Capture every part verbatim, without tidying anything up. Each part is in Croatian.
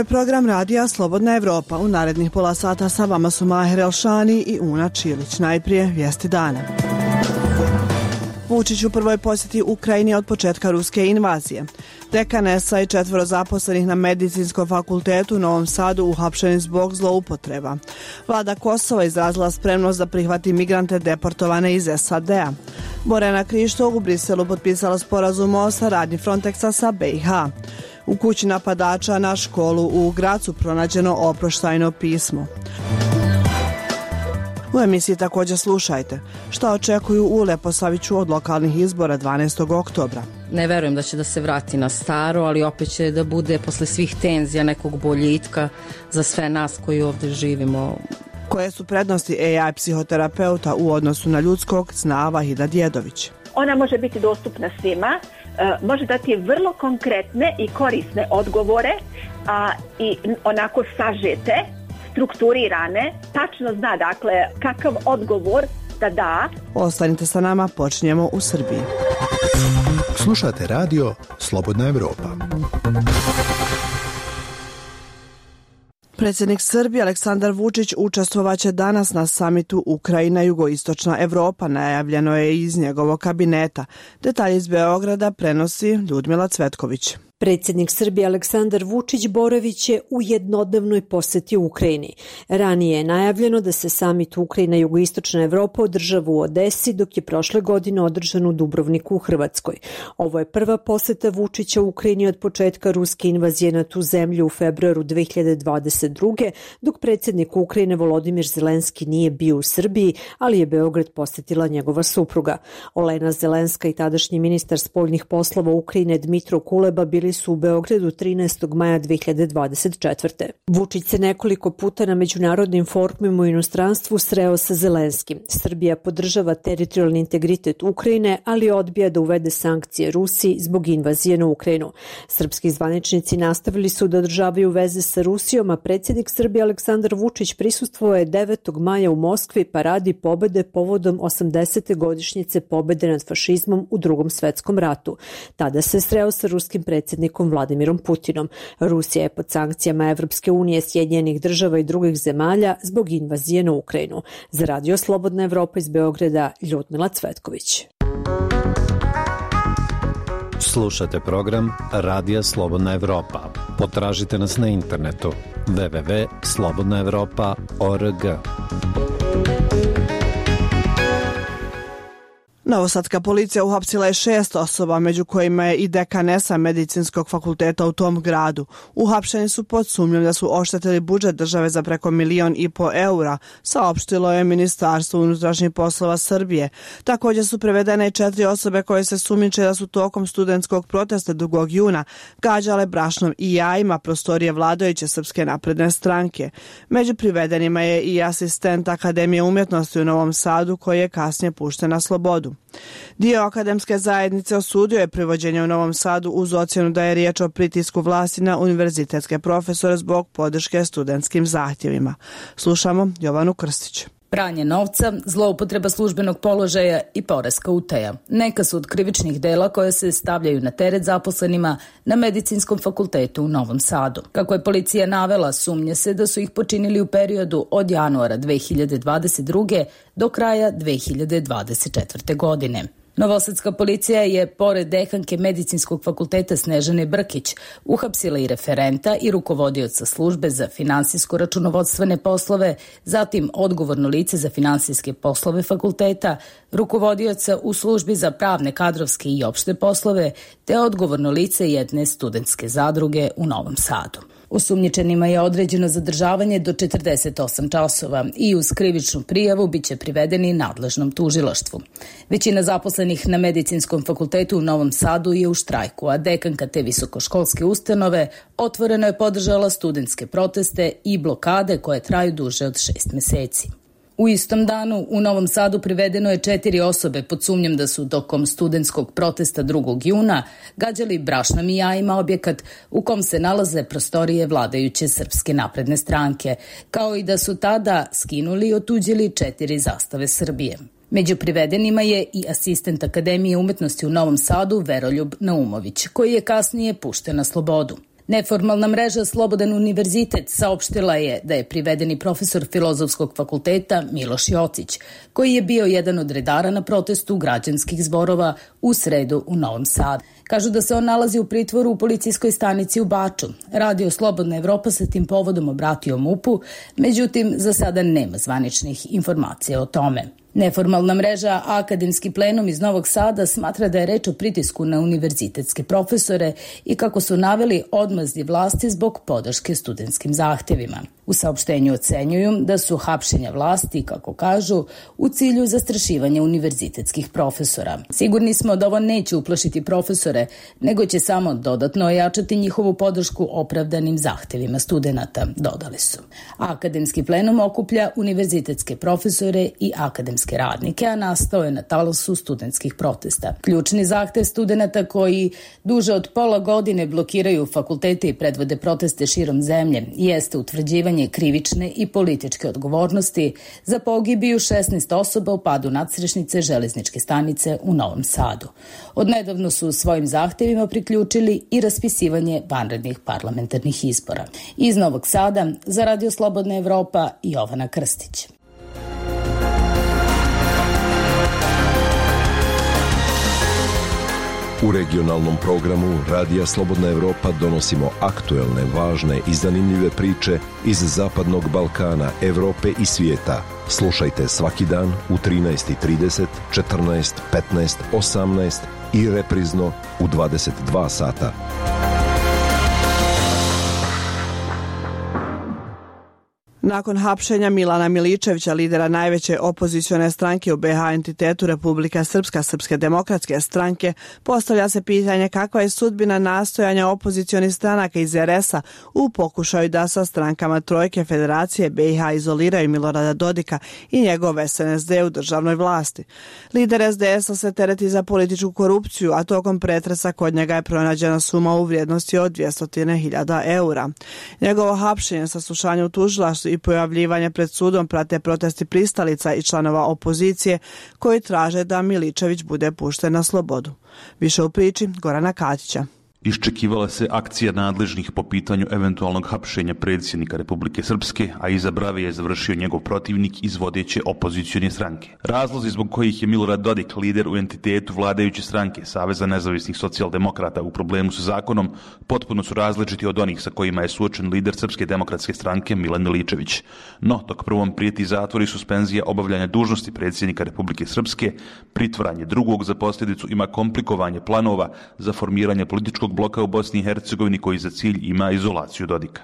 program radija Slobodna Evropa. U narednih pola sata sa vama su Maher Elšani i Una Čilić. Najprije vijesti dana. Vučić u prvoj posjeti Ukrajini od početka ruske invazije. Dekanesa i četvoro zaposlenih na Medicinskom fakultetu u Novom Sadu uhapšeni zbog zloupotreba. Vlada Kosova izrazila spremnost da prihvati migrante deportovane iz S A D-a. Borjana Krišto u Briselu potpisala sporazum o saradnji Frontexa sa B i H. U kući napadača na školu u Gracu pronađeno oproštajno pismo. U emisiji također slušajte šta očekuju u Leposaviću od lokalnih izbora dvanaestog oktobra. Ne verujem da će da se vrati na staro, ali opet će da bude posle svih tenzija nekog boljitka za sve nas koji ovdje živimo. Koje su prednosti A I psihoterapeuta u odnosu na ljudskog, zna Vahida Djedović. Ona može biti dostupna svima, može dati vrlo konkretne i korisne odgovore a, i onako sažete, strukturirane, tačno zna dakle kakav odgovor da da. Ostanite sa nama, počinjemo u Srbiji. Slušate radio Slobodna Evropa. Predsjednik Srbije Aleksandar Vučić učestvovaće danas na samitu Ukrajina jugoistočna Evropa, najavljeno je iz njegovog kabineta. Detalje iz Beograda prenosi Ljudmila Cvetković. Predsjednik Srbije Aleksandar Vučić boravit je u jednodnevnoj posjeti Ukrajini. Ranije je najavljeno da se samit Ukrajina jugoistočna Evropa održava u Odesi, dok je prošle godine održan u Dubrovniku u Hrvatskoj. Ovo je prva posjeta Vučića u Ukrajini od početka ruske invazije na tu zemlju u februaru dve hiljade dvadeset druge. dok predsjednik Ukrajine Volodimir Zelenski nije bio u Srbiji, ali je Beograd posjetila njegova supruga. Olena Zelenska i tadašnji ministar spoljnih poslova Ukrajine Dmitro Kuleba bili su u Beogradu trinaestog maja dve hiljade dvadeset četvrte. Vučić se nekoliko puta na međunarodnim forumima u inostranstvu sreo sa Zelenskim. Srbija podržava teritorijalni integritet Ukrajine, ali odbija da uvede sankcije Rusiji zbog invazije na Ukrajinu. Srpski zvaničnici nastavili su da održavaju veze sa Rusijom, a predsjednik Srbije Aleksandar Vučić prisustvovao je devetog maja u Moskvi paradi pobede povodom osamdesete godišnjice pobede nad fašizmom u Drugom svetskom ratu. Tada se sreo sa ruskim predsjednikom Vladimirom Putinom. Rusija je pod sankcijama Evropske unije, Sjedinjenih država i drugih zemalja zbog invazije na Ukrajinu. Za radio Slobodna Evropa iz Beograda, Ljudmila Cvetković. Slušate program Radija Slobodna Evropa. Potražite nas na internetu w w w tačka slobodna evropa tačka org. Novosadska policija uhapsila je šest osoba, među kojima je i dekanesa Medicinskog fakulteta u tom gradu. Uhapšeni su pod sumnjom da su oštetili budžet države za preko milion i po eura, saopštilo je Ministarstvo unutrašnjih poslova Srbije. Također su prevedene i četiri osobe koje se sumnjiče da su tokom studentskog protesta drugog juna gađale brašnom i jajima prostorije vladajuće Srpske napredne stranke. Među privedenima je i asistent Akademije umjetnosti u Novom Sadu, koji je kasnije pušten na slobodu. Dio akademske zajednice osudio je privođenje u Novom Sadu uz ocjenu da je riječ o pritisku vlasti na univerzitetske profesore zbog podrške studentskim zahtjevima. Slušamo Jovanu Krstić. Pranje novca, zloupotreba službenog položaja i poreska utaja. Neka su od krivičnih dela koje se stavljaju na teret zaposlenima na Medicinskom fakultetu u Novom Sadu. Kako je policija navela, sumnje se da su ih počinili u periodu od januara dve hiljade dvadeset druge do kraja dve hiljade dvadeset četvrte godine. Novosadska policija je, pored dekanke Medicinskog fakulteta Snežane Brkić, uhapsila i referenta i rukovodioca službe za finansijsko-računovodstvene poslove, zatim odgovorno lice za finansijske poslove fakulteta, rukovodioca u službi za pravne, kadrovske i opšte poslove, te odgovorno lice jedne studentske zadruge u Novom Sadu. Osumnjičenima je određeno zadržavanje do četrdeset osam časova i uz krivičnu prijavu biće privedeni nadležnom tužilaštvu. Većina zaposlenih na Medicinskom fakultetu u Novom Sadu je u štrajku, a dekanka te visokoškolske ustanove otvoreno je podržala studentske proteste i blokade koje traju duže od šest meseci. U istom danu u Novom Sadu privedeno je četiri osobe pod sumnjom da su tokom studentskog protesta drugog juna gađali brašnom i jajima objekat u kom se nalaze prostorije vladajuće Srpske napredne stranke, kao i da su tada skinuli i otuđili četiri zastave Srbije. Među privedenima je i asistent Akademije umetnosti u Novom Sadu Veroljub Naumović, koji je kasnije pušten na slobodu. Neformalna mreža Slobodan univerzitet saopštila je da je privedeni profesor Filozofskog fakulteta Miloš Jocić, koji je bio jedan od redara na protestu građanskih zborova u sredu u Novom Sadu. Kažu da se on nalazi u pritvoru u policijskoj stanici u Baču. Radio Slobodna Evropa se tim povodom obratio MUP-u, međutim za sada nema zvaničnih informacija o tome. Neformalna mreža Akademski plenum iz Novog Sada smatra da je reč o pritisku na univerzitetske profesore i, kako su naveli, odmazdi vlasti zbog podrške studentskim zahtevima. U saopštenju ocenjuju da su hapšenja vlasti, kako kažu, u cilju zastrašivanja univerzitetskih profesora. Sigurni smo da ovo neće uplašiti profesore, nego će samo dodatno ojačati njihovu podršku opravdanim zahtevima studenata, dodali su. Akademski plenum okuplja univerzitetske profesore i akademske radnike, a nastao je na talasu studentskih protesta. Ključni zahtev studenata koji duže od pola godine blokiraju fakultete i predvode proteste širom zemlje jeste utvrđivanje krivične i političke odgovornosti za pogibiju šesnaest osoba u padu nadstrešnice železničke stanice u Novom Sadu. Odnedavno su svojim zahtevima priključili i raspisivanje vanrednih parlamentarnih izbora. Iz Novog Sada za Radio Slobodna Evropa, Jovana Krstić. U regionalnom programu Radija Slobodna Evropa donosimo aktuelne, važne i zanimljive priče iz Zapadnog Balkana, Evrope i svijeta. Slušajte svaki dan u trinaest i trideset, četrnaest, petnaest, osamnaest i reprizno u dvadeset dva sata. Nakon hapšenja Milana Miličevića, lidera najveće opozicione stranke u be ha entitetu Republika Srpska, Srpske demokratske stranke, postavlja se pitanje kakva je sudbina nastojanja opozicionih stranaka iz er es a u pokušaju da sa strankama Trojke Federacije be i ha izoliraju Milorada Dodika i njegov es en es de u državnoj vlasti. Lider es de es a se tereti za političku korupciju, a tokom pretresa kod njega je pronađena suma u vrijednosti od dvjesto hiljada eura. Njegovo hapšenje, saslušanje u tužilaštvu i pojavljivanje pred sudom prate protesti pristalica i članova opozicije koji traže da Miličević bude pušten na slobodu. Više u priči Gorana Katića. Iščekivala se akcija nadležnih po pitanju eventualnog hapšenja predsjednika Republike Srpske, a iza brave je završio njegov protivnik iz vodeće opozicione stranke. Razlozi zbog kojih je Milorad Dodik lider u entitetu vladajuće stranke Saveza nezavisnih socijaldemokrata u problemu sa zakonom potpuno su različiti od onih sa kojima je suočen lider Srpske demokratske stranke Milan Miličević. No, dok prvom prijeti zatvor i suspenzija obavljanja dužnosti predsjednika Republike Srpske, pritvaranje drugog za posljedicu ima komplikovanje planova za formiranje političkog bloka u Bosni i Hercegovini koji za cilj ima izolaciju Dodika.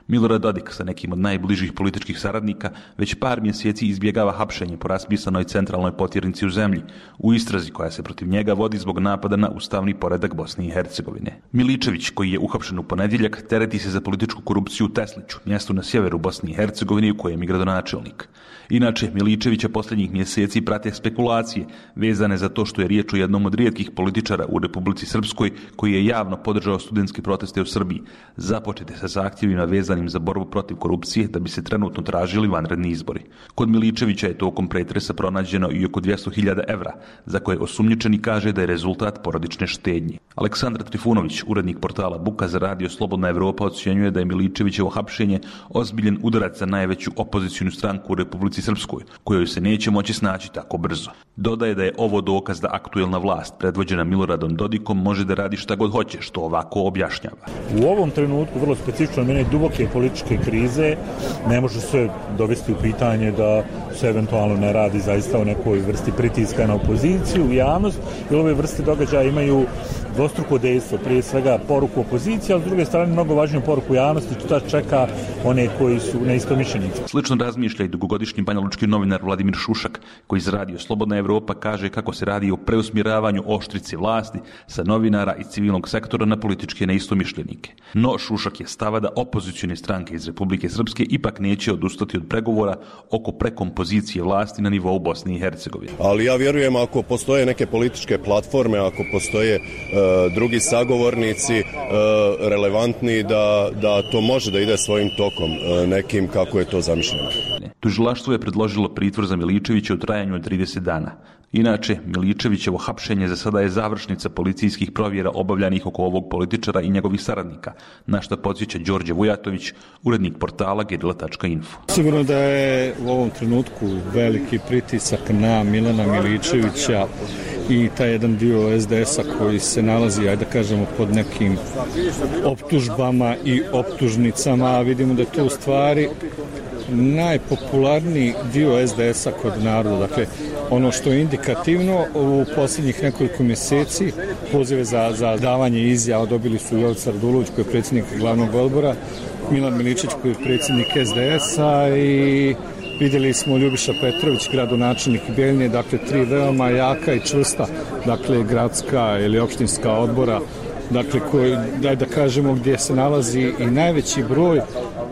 Milorad Dodik sa nekim od najbližih političkih saradnika već par mjeseci izbjegava hapšenje po raspisanoj centralnoj potjernici u zemlji u istrazi koja se protiv njega vodi zbog napada na ustavni poredak Bosne i Hercegovine. Miličević, koji je uhapšen u ponedjeljak, tereti se za političku korupciju u Tesliću, mjestu na sjeveru Bosne i Hercegovine u kojem je gradonačelnik. Inače, Miličevića posljednjih mjeseci prate spekulacije vezane za to što je riječ o jednom od rijetkih političara u Republici Srpskoj koji je javno podržao studentske proteste u Srbiji, započete sa zahtjevima vezanim za borbu protiv korupcije da bi se trenutno tražili vanredni izbori. Kod Miličevića je tokom pretresa pronađeno i oko dvjesto hiljada evra, za koje osumnjičeni kaže da je rezultat porodične štednje. Aleksandar Trifunović, urednik portala Buka za Radio Slobodna Evropa, ocjenjuje da je Miličevićevo hapšenje ozbiljen udarac za najveću opozicionu stranku u Republici Srpskoj, kojoj se neće moći snaći tako brzo. Dodaje da je ovo dokaz da aktuelna vlast, predvođena Miloradom Dodikom, može da radi šta god hoće, što ovako objašnjava. U ovom trenutku, vrlo specifično, mene duboke političke krize, ne može se dovesti u pitanje da se eventualno ne radi zaista o nekoj vrsti pritiska na opoziciju, javnost, jer ove vrste događaja imaju dvostruko dejstvo, prije svega poruku opozicije, a s druge strane mnogo važniju poruku javnosti, što čeka one koji su neistomišljenici. Slično razmišlja i dugogodišnji banjalučki novinar Vladimir Šušak, koji iz Radio Slobodna Evropa kaže kako se radi o preusmjeravanju oštrice vlasti sa novinara i civilnog sektora na političke neistomišljenike. No, Šušak je stava da opozicione stranke iz Republike Srpske ipak neće odustati od pregovora oko prekompozicije vlasti na nivou Bosne i Hercegovine. Ali ja vjerujem, ako postoje neke političke platforme, ako postoje drugi sagovornici relevantni da, da to može da ide svojim tokom nekim kako je to zamišljeno. Tužilaštvo je predložilo pritvor za Miličevića u trajanju od trideset dana. Inače, Miličevićevo hapšenje za sada je završnica policijskih provjera obavljanih oko ovog političara i njegovih saradnika, na što podsjeća Đorđe Vujatović, urednik portala gerila tačka info. Sigurno da je u ovom trenutku veliki pritisak na Milana Miličevića i taj jedan dio es de es a koji se nalazi, ajde da kažemo, pod nekim optužbama i optužnicama, a vidimo da je to u stvari najpopularniji dio es de es a kod naroda. Dakle, ono što je indikativno u posljednjih nekoliko mjeseci, pozive za, za davanje izjava dobili su Jovica Radulović koji je predsjednik glavnog odbora, Milan Miličić koji je predsjednik es de es a i vidjeli smo Ljubiša Petrović, gradonačelnik Bijeljine, dakle tri veoma jaka i čvrsta, dakle gradska ili opštinska odbora, dakle koji, daj da kažemo, gdje se nalazi i najveći broj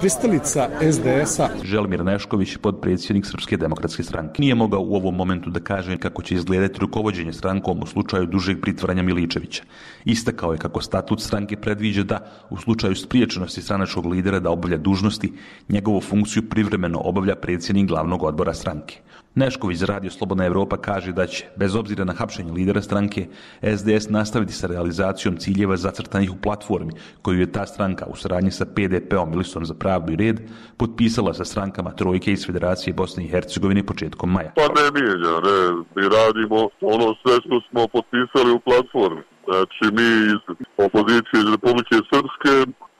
pristalica es de es a. Želimir Nešković, podpredsjednik Srpske demokratske stranke, nije mogao u ovom momentu da kaže kako će izgledati rukovođenje strankom u slučaju dužeg pritvaranja Miličevića. Istakao je kako statut stranke predviđa da, u slučaju spriječenosti stranačkog lidera da obavlja dužnosti, njegovu funkciju privremeno obavlja predsjednik glavnog odbora stranke. Nešković za Radio Slobodna Evropa kaže da će, bez obzira na hapšenje lidera stranke, es de es nastaviti sa realizacijom ciljeva zacrtanih u platformi koju je ta stranka u saradnji sa pe de pe-om i Listom za pravdu i red potpisala sa strankama Trojke iz Federacije Bosne i Hercegovine početkom maja. Pa ne mijenja, ne, mi radimo ono sve što smo potpisali u platformi. Znači mi iz opozicije iz Republike Srpske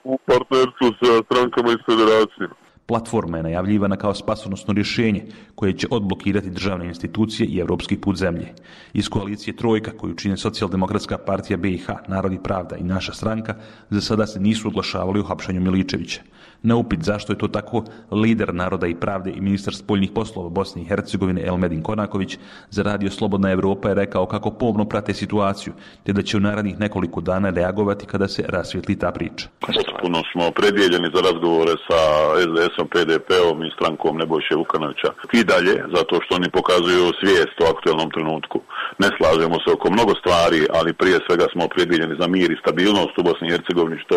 u partnerstvu sa strankama iz Federacije. Platforma je najavljivana kao spasonosno rješenje koje će odblokirati državne institucije i evropski put zemlje. Iz koalicije Trojka, koju čine Socijaldemokratska partija be i ha, Narod i pravda i naša stranka, za sada se nisu oglašavali u hapšenju Miličevića. Na upit zašto je to tako, lider Naroda i pravde i ministar spoljnih poslova Bosne i Hercegovine Elmedin Konaković za Radio Slobodna Evropa je rekao kako pomno prate situaciju, te da će u narednih nekoliko dana reagovati kada se rasvijetli ta priča. Puno smo predijeljeni za razgovore sa es de es-om, pe de pe-om i strankom Nebojše Vukanovića. I dalje, zato što oni pokazuju svijest o aktualnom trenutku. Ne slažemo se oko mnogo stvari, ali prije svega smo predijeljeni za mir i stabilnost u Bosni i Hercegovini, što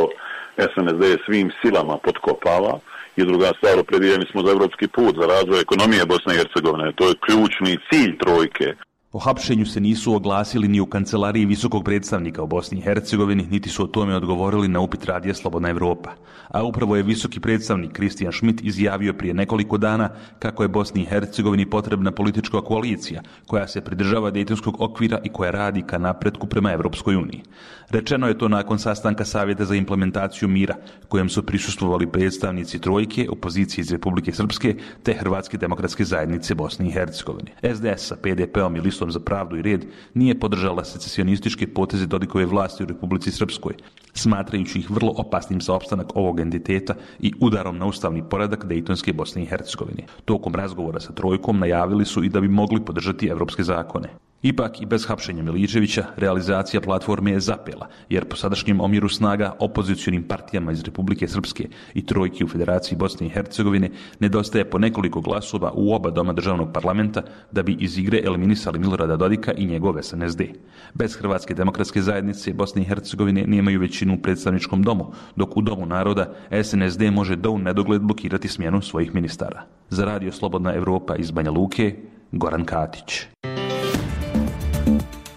es en es de svim silama potkopava. I druga stvar, opredijeljeni smo za evropski put, za razvoj ekonomije Bosne i Hercegovine. To je ključni cilj Trojke. O hapšenju se nisu oglasili ni u kancelariji visokog predstavnika u Bosni i Hercegovini, niti su o tome odgovorili na upit Radija Slobodna Evropa. A upravo je visoki predstavnik Kristijan Šmit izjavio prije nekoliko dana kako je Bosni i Hercegovini potrebna politička koalicija koja se pridržava Dejtonskog okvira i koja radi ka napretku prema Evropskoj uniji. Rečeno je to nakon sastanka Savjeta za implementaciju mira, kojem su prisustvovali predstavnici Trojke, opozicije iz Republike Srpske te Hrvatske demokratske zajednice Bosne i Hercegovine. es de es sa pe de pe-om i Listom za pravdu i red nije podržala secesionističke poteze Dodikove vlasti u Republici Srpskoj, smatrajući ih vrlo opasnim za opstanak ovog entiteta i udarom na ustavni poredak Dejtonske Bosne i Hercegovine. Tokom razgovora sa Trojkom najavili su i da bi mogli podržati evropske zakone. Ipak i bez hapšenja Miličevića realizacija platforme je zapela, jer po sadašnjem omjeru snaga opozicionim partijama iz Republike Srpske i Trojki u Federaciji Bosne i Hercegovine nedostaje po nekoliko glasova u oba doma državnog parlamenta da bi iz igre eliminisali Milorada Dodika i njegov es en es de. Bez Hrvatske demokratske zajednice Bosne i Hercegovine nemaju većinu u predstavničkom domu, dok u Domu naroda es en es de može do u nedogled blokirati smjenu svojih ministara. Za Radio Slobodna Evropa iz Banja Luke, Goran Katić.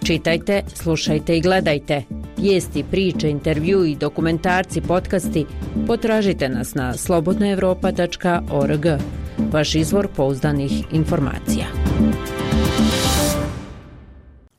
Čitajte, slušajte i gledajte. Vijesti, priče, intervju i dokumentarci, podcasti potražite nas na slobodna evropa tačka org. Vaš izvor pouzdanih informacija.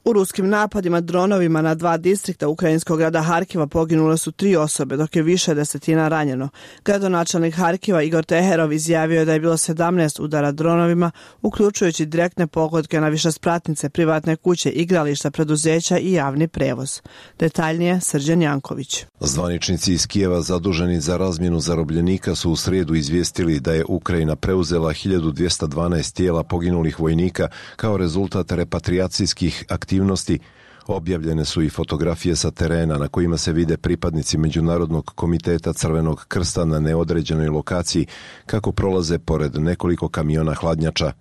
U ruskim napadima dronovima na dva distrikta ukrajinskog grada Harkiva poginule su tri osobe, dok je više desetina ranjeno. Gradonačelnik Harkiva Igor Teherov izjavio je da je bilo sedamnaest udara dronovima, uključujući direktne pogodke na višespratnice, privatne kuće, igrališta, preduzeća i javni prevoz. Detaljnije Srđan Janković. Zvaničnici iz Kijeva zaduženi za razmjenu zarobljenika su u srijedu izvijestili da je Ukrajina preuzela hiljadu dvjesto dvanaest tijela poginulih vojnika kao rezultat repatriacijskih aktivnosti. Objavljene su i fotografije sa terena na kojima se vide pripadnici Međunarodnog komiteta Crvenog krsta na neodređenoj lokaciji kako prolaze pored nekoliko kamiona hladnjača.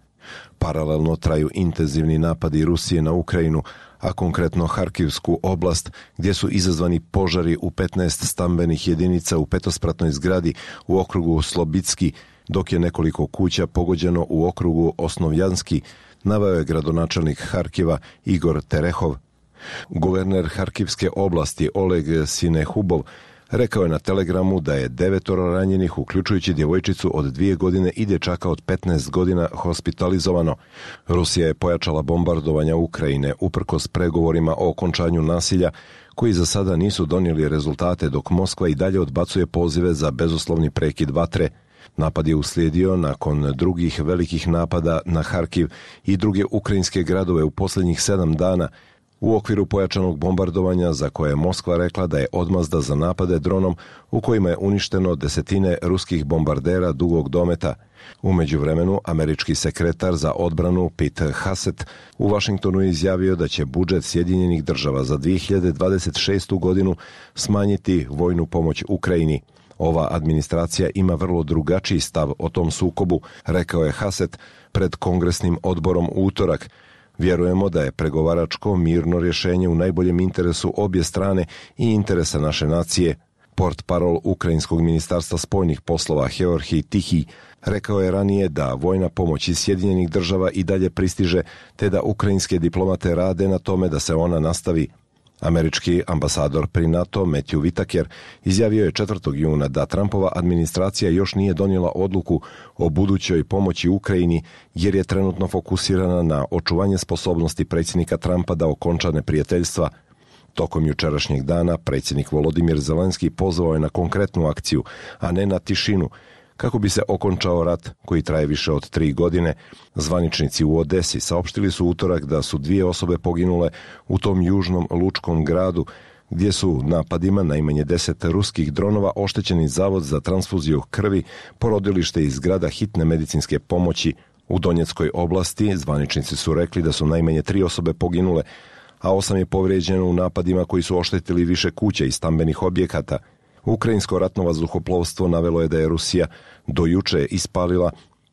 Paralelno traju intenzivni napadi Rusije na Ukrajinu, a konkretno Harkivsku oblast, gdje su izazvani požari u petnaest stambenih jedinica u petospratnoj zgradi u okrugu Slobitski, dok je nekoliko kuća pogođeno u okrugu Osnovjanski, naveo je gradonačelnik Harkiva Igor Terehov. Guverner Harkivske oblasti Oleg Sinehubov rekao je na Telegramu da je devetoro ranjenih, uključujući djevojčicu od dvije godine i dječaka od petnaest godina, hospitalizovano. Rusija je pojačala bombardovanja Ukrajine uprkos pregovorima o okončanju nasilja, koji za sada nisu donijeli rezultate, dok Moskva i dalje odbacuje pozive za bezuslovni prekid vatre. Napad je uslijedio nakon drugih velikih napada na Harkiv i druge ukrajinske gradove u posljednjih sedam dana, u okviru pojačanog bombardovanja za koje je Moskva rekla da je odmazda za napade dronom u kojima je uništeno desetine ruskih bombardera dugog dometa. U međuvremenu, američki sekretar za odbranu Pete Hegseth u Washingtonu je izjavio da će budžet Sjedinjenih država za dvije hiljade dvadeset šestu godinu smanjiti vojnu pomoć Ukrajini. Ova administracija ima vrlo drugačiji stav o tom sukobu, rekao je Hegseth pred kongresnim odborom u utorak. Vjerujemo da je pregovaračko mirno rješenje u najboljem interesu obje strane i interesa naše nacije. Portparol Ukrajinskog ministarstva spoljnih poslova Georgij Tihij rekao je ranije da vojna pomoć iz Sjedinjenih država i dalje pristiže, te da ukrajinske diplomate rade na tome da se ona nastavi. Američki ambasador pri NATO Matthew Whitaker izjavio je četvrtog juna da Trumpova administracija još nije donijela odluku o budućoj pomoći Ukrajini jer je trenutno fokusirana na očuvanje sposobnosti predsjednika Trumpa da okonča neprijateljstva. Tokom jučerašnjeg dana predsjednik Volodimir Zelenski pozvao je na konkretnu akciju, a ne na tišinu, kako bi se okončao rat koji traje više od tri godine. Zvaničnici u Odesi saopštili su utorak da su dvije osobe poginule u tom južnom lučkom gradu, gdje su napadima najmanje deset ruskih dronova oštećeni zavod za transfuziju krvi, porodilište i zgrada hitne medicinske pomoći. U Donjeckoj oblasti zvaničnici su rekli da su najmanje tri osobe poginule, a osam je povrijeđeno u napadima koji su oštetili više kuća i stambenih objekata. Ukrajinsko ratno vazduhoplovstvo navelo je da je Rusija do juče ispalila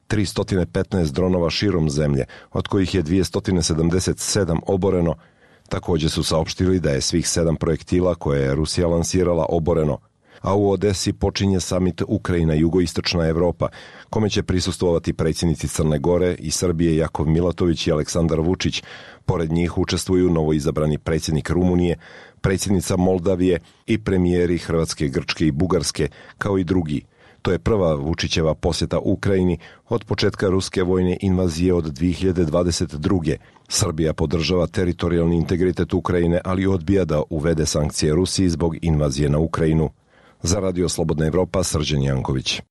tristo petnaest dronova širom zemlje, od kojih je dvjesto sedamdeset sedam oboreno. Također su saopštili da je svih sedam projektila koje je Rusija lansirala oboreno. A u Odesi počinje samit Ukrajina jugoistočna Evropa, kome će prisustvovati predsjednici Crne Gore i Srbije Jakov Milatović i Aleksandar Vučić. Pored njih učestvuju novoizabrani predsjednik Rumunije, predsjednica Moldavije i premijeri Hrvatske, Grčke i Bugarske, kao i drugi. To je prva Vučićeva posjeta Ukrajini od početka ruske vojne invazije od dvije hiljade dvadeset druge. Srbija podržava teritorijalni integritet Ukrajine, ali odbija da uvede sankcije Rusiji zbog invazije na Ukrajinu. Za Radio Slobodna Evropa, Srđan Janković.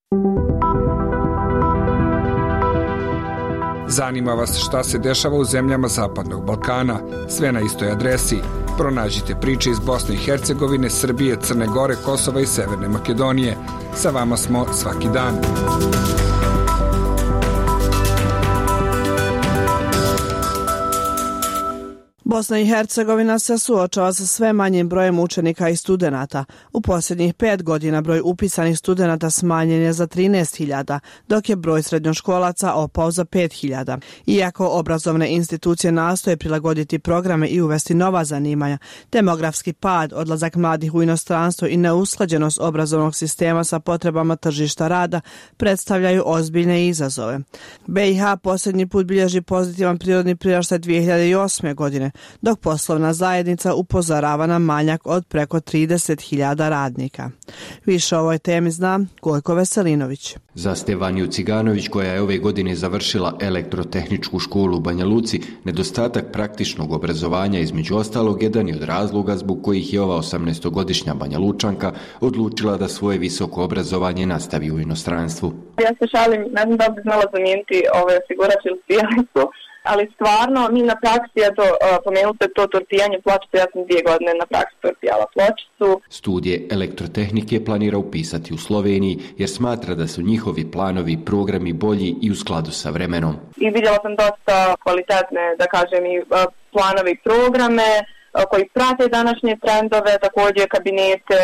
Zanima vas šta se dešava u zemljama Zapadnog Balkana? Sve na istoj adresi. Pronađite priče iz Bosne i Hercegovine, Srbije, Crne Gore, Kosova i Severne Makedonije. Sa vama smo svaki dan. Bosna i Hercegovina se suočava sa sve manjim brojem učenika i studenata. U posljednjih pet godina broj upisanih studenata smanjen je za trinaest hiljada, dok je broj srednjoškolaca opao za pet hiljada. Iako obrazovne institucije nastoje prilagoditi programe i uvesti nova zanimanja, demografski pad, odlazak mladih u inostranstvo i neusklađenost obrazovnog sistema sa potrebama tržišta rada predstavljaju ozbiljne izazove. B i H posljednji put bilježi pozitivan prirodni priraštaj dvije hiljade osme. godine, dok poslovna zajednica upozorava na manjak od preko trideset hiljada radnika. Više o ovoj temi zna Gojko Veselinović. Za Stevaniju Ciganović, koja je ove godine završila elektrotehničku školu u Banja Luci, nedostatak praktičnog obrazovanja između ostalog jedan je od razloga zbog kojih je ova osamnaestogodišnja Banja Lučanka odlučila da svoje visoko obrazovanje nastavi u inostranstvu. Ja se šalim, ne znam da bi znala zamijeniti ove osigurač ili spijalicu, ali stvarno mi na praksi, ja to pomenute to tortijanje pločice, ja sam dvije godine na praksi tortijala pločicu. Studije elektrotehnike planira upisati u Sloveniji jer smatra da su njihovi planovi i programi bolji i u skladu sa vremenom. I vidjela sam dosta kvalitetne, da kažem, i planove i programe koji prate današnje trendove, također kabinete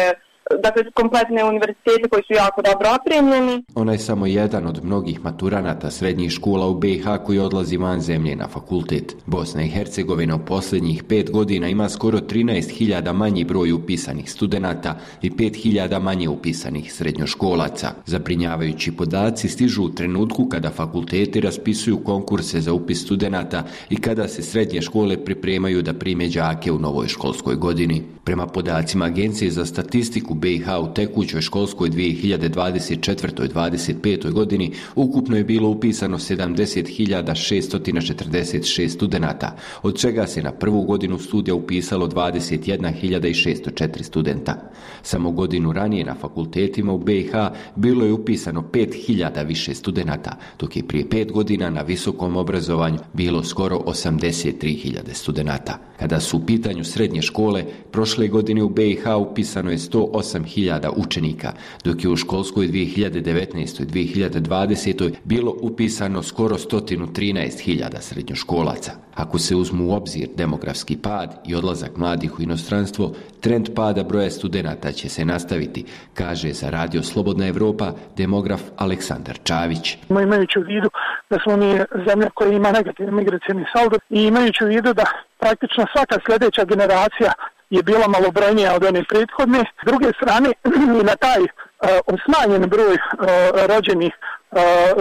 dakle kompletne univerzitete koji su jako dobro opremljeni. Ona je samo jedan od mnogih maturanata srednjih škola u B i H koji odlazi van zemlje na fakultet. Bosna i Hercegovina u posljednjih pet godina ima skoro trinaest hiljada manji broj upisanih studenata i pet hiljada manje upisanih srednjoškolaca. Zabrinjavajući podaci stižu u trenutku kada fakulteti raspisuju konkurse za upis studenata i kada se srednje škole pripremaju da prime đake u novoj školskoj godini. Prema podacima Agencije za statistiku B i H u tekućoj školskoj dvije hiljade dvadeset četvrtoj dvadeset petoj godini ukupno je bilo upisano sedamdeset hiljada šeststo četrdeset šest studenata, od čega se na prvu godinu studija upisalo dvadeset jedna hiljada šeststo četiri studenta. Samo godinu ranije na fakultetima u B i H bilo je upisano pet hiljada više studenata, dok je prije pet godina na visokom obrazovanju bilo skoro osamdeset tri hiljade studenata. Kada su u pitanju srednje škole, prošle godine u B i H upisano je sto osam hiljada učenika, dok je u školskoj dvije hiljade devetnaestoj dvije hiljade dvadesetoj bilo upisano skoro sto trinaest hiljada srednjoškolaca. Ako se uzmu u obzir demografski pad i odlazak mladih u inostranstvo, trend pada broja studenata će se nastaviti, kaže za Radio Slobodna Evropa demograf Aleksandar Čavić. Imajući u vidu da smo mi zemlja koja ima negativni migracijni saldo i imajući u vidu da praktično svaka sljedeća generacija je bila malobrojnija od one prethodne. S druge strane, i na taj uh, smanjen broj uh, rođenih uh,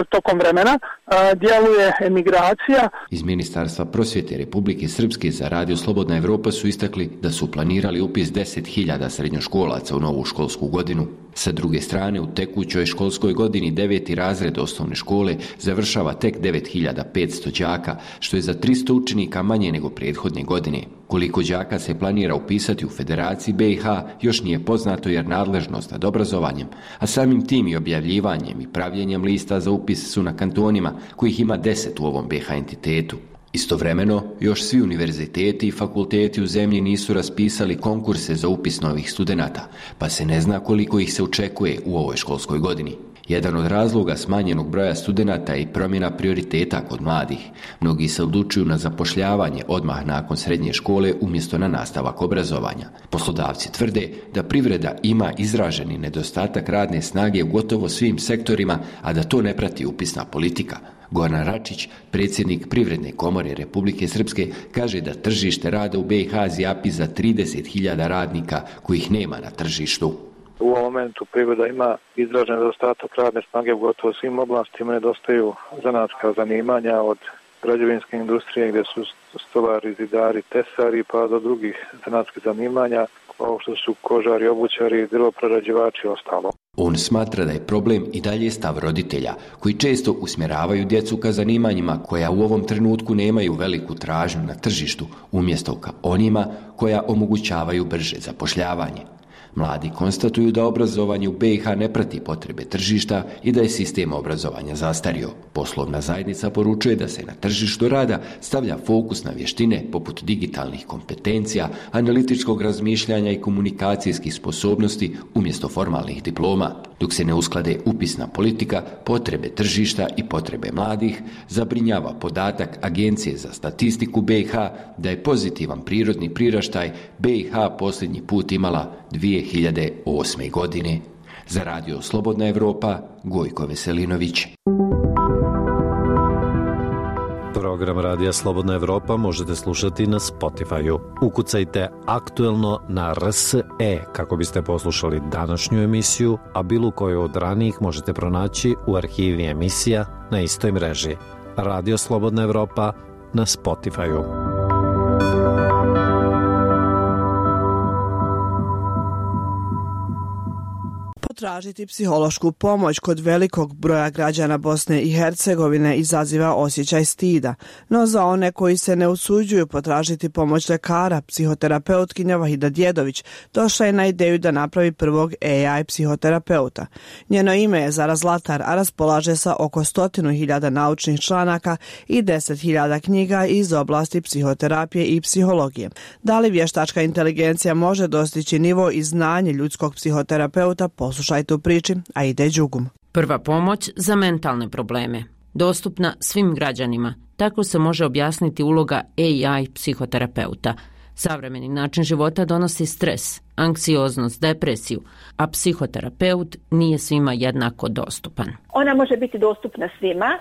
tokom vremena uh, djeluje emigracija. Iz Ministarstva prosvjete Republike Srpske za Radio Slobodna Evropa su istakli da su planirali upis deset hiljada srednjoškolaca u novu školsku godinu. Sa druge strane, u tekućoj školskoj godini deveti razred osnovne škole završava tek devet hiljada petsto đaka, što je za tristo učenika manje nego prethodne godine. Koliko đaka se planira upisati u Federaciji B i H još nije poznato jer nadležnost nad obrazovanjem, a samim tim i objavljivanjem i pravljenjem lista za upis su na kantonima, kojih ima deset u ovom B i H entitetu. Istovremeno, još svi univerziteti i fakulteti u zemlji nisu raspisali konkurse za upis novih studenata, pa se ne zna koliko ih se očekuje u ovoj školskoj godini. Jedan od razloga smanjenog broja studenata je i promjena prioriteta kod mladih. Mnogi se odlučuju na zapošljavanje odmah nakon srednje škole umjesto na nastavak obrazovanja. Poslodavci tvrde da privreda ima izraženi nedostatak radne snage u gotovo svim sektorima, a da to ne prati upisna politika. Goran Račić, predsjednik Privredne komore Republike Srpske, kaže da tržište rada u B i H zjapi za trideset hiljada radnika kojih nema na tržištu. U ovom momentu privreda ima izražen nedostatak radne snage u gotovo svim oblastima, nedostaju zanatska zanimanja od građevinske industrije gdje su stolari, zidari, tesari pa do drugih zanatskih zanimanja kao što su kožari, obućari, drvoprerađivači i ostalo. On smatra da je problem i dalje stav roditelja, koji često usmjeravaju djecu ka zanimanjima koja u ovom trenutku nemaju veliku tražnju na tržištu, umjesto ka onima koja omogućavaju brže zapošljavanje. Mladi konstatuju da obrazovanje u B i H ne prati potrebe tržišta i da je sistem obrazovanja zastario. Poslovna zajednica poručuje da se na tržištu rada stavlja fokus na vještine poput digitalnih kompetencija, analitičkog razmišljanja i komunikacijskih sposobnosti umjesto formalnih diploma. Dok se ne usklade upisna politika, potrebe tržišta i potrebe mladih, zabrinjava podatak Agencije za statistiku B i H da je pozitivan prirodni priraštaj B i H posljednji put imala dvije hiljade osme. godine. Za Radio Slobodna Evropa, Gojko Veselinović. Program Radija Slobodna Evropa možete slušati na Spotify-u. Ukucajte aktuelno na R S E kako biste poslušali današnju emisiju, a bilo koju od ranijih možete pronaći u arhivi emisija na istoj mreži. Radio Slobodna Evropa na Spotify-u. Tražiti psihološku pomoć kod velikog broja građana Bosne i Hercegovine izaziva osjećaj stida, no za one koji se ne usuđuju potražiti pomoć lekara, psihoterapeutkinja Vahida Djedović došla je na ideju da napravi prvog A I psihoterapeuta. Njeno ime je Zara Zlatar, a raspolaže sa oko stotinu hiljada naučnih članaka i deset hiljada knjiga iz oblasti psihoterapije i psihologije. Da li vještačka inteligencija može dostići nivo i znanje ljudskog psihoterapeuta, poslušajte u priči, a ide Đugum. Prva pomoć za mentalne probleme. Dostupna svim građanima. Tako se može objasniti uloga A I psihoterapeuta. Savremeni način života donosi stres, anksioznost, depresiju, a psihoterapeut nije svima jednako dostupan. Ona može biti dostupna svima,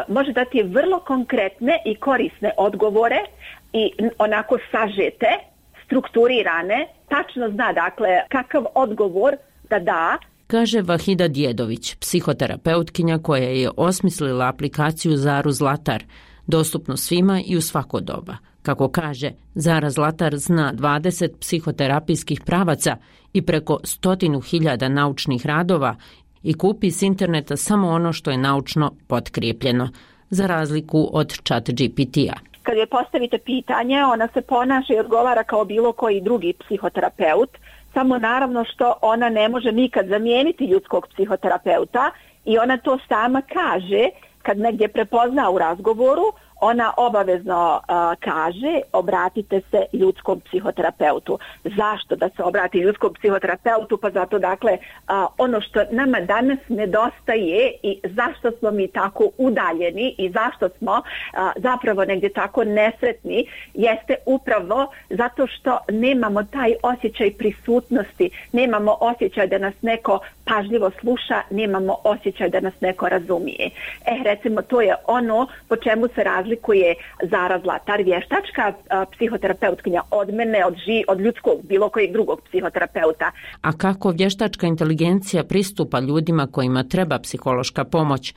može dati vrlo konkretne i korisne odgovore i onako sažete, strukturirane, tačno zna dakle kakav odgovor da da. Kaže Vahida Djedović, psihoterapeutkinja koja je osmislila aplikaciju Zaru Zlatar, dostupno svima i u svako doba. Kako kaže, Zara Zlatar zna dvadeset psihoterapijskih pravaca i preko stotinu hiljada naučnih radova i kupi s interneta samo ono što je naučno potkrijepljeno, za razliku od Chat G P T-a. Kad joj postavite pitanje, ona se ponaša i odgovara kao bilo koji drugi psihoterapeut, samo naravno što ona ne može nikad zamijeniti ljudskog psihoterapeuta i ona to sama kaže kad negdje prepozna u razgovoru, ona obavezno uh, kaže obratite se ljudskom psihoterapeutu. Zašto da se obrati ljudskom psihoterapeutu? Pa zato dakle uh, ono što nama danas nedostaje i zašto smo mi tako udaljeni i zašto smo uh, zapravo negdje tako nesretni jeste upravo zato što nemamo taj osjećaj prisutnosti, nemamo osjećaj da nas neko pažljivo sluša, nemamo osjećaj da nas neko razumije. E, recimo, to je ono po čemu se razlikuje Zara Zlatar, vještačka a, psihoterapeutkinja od mene, od, ži, od ljudskog, bilo kojeg drugog psihoterapeuta. A kako vještačka inteligencija pristupa ljudima kojima treba psihološka pomoć,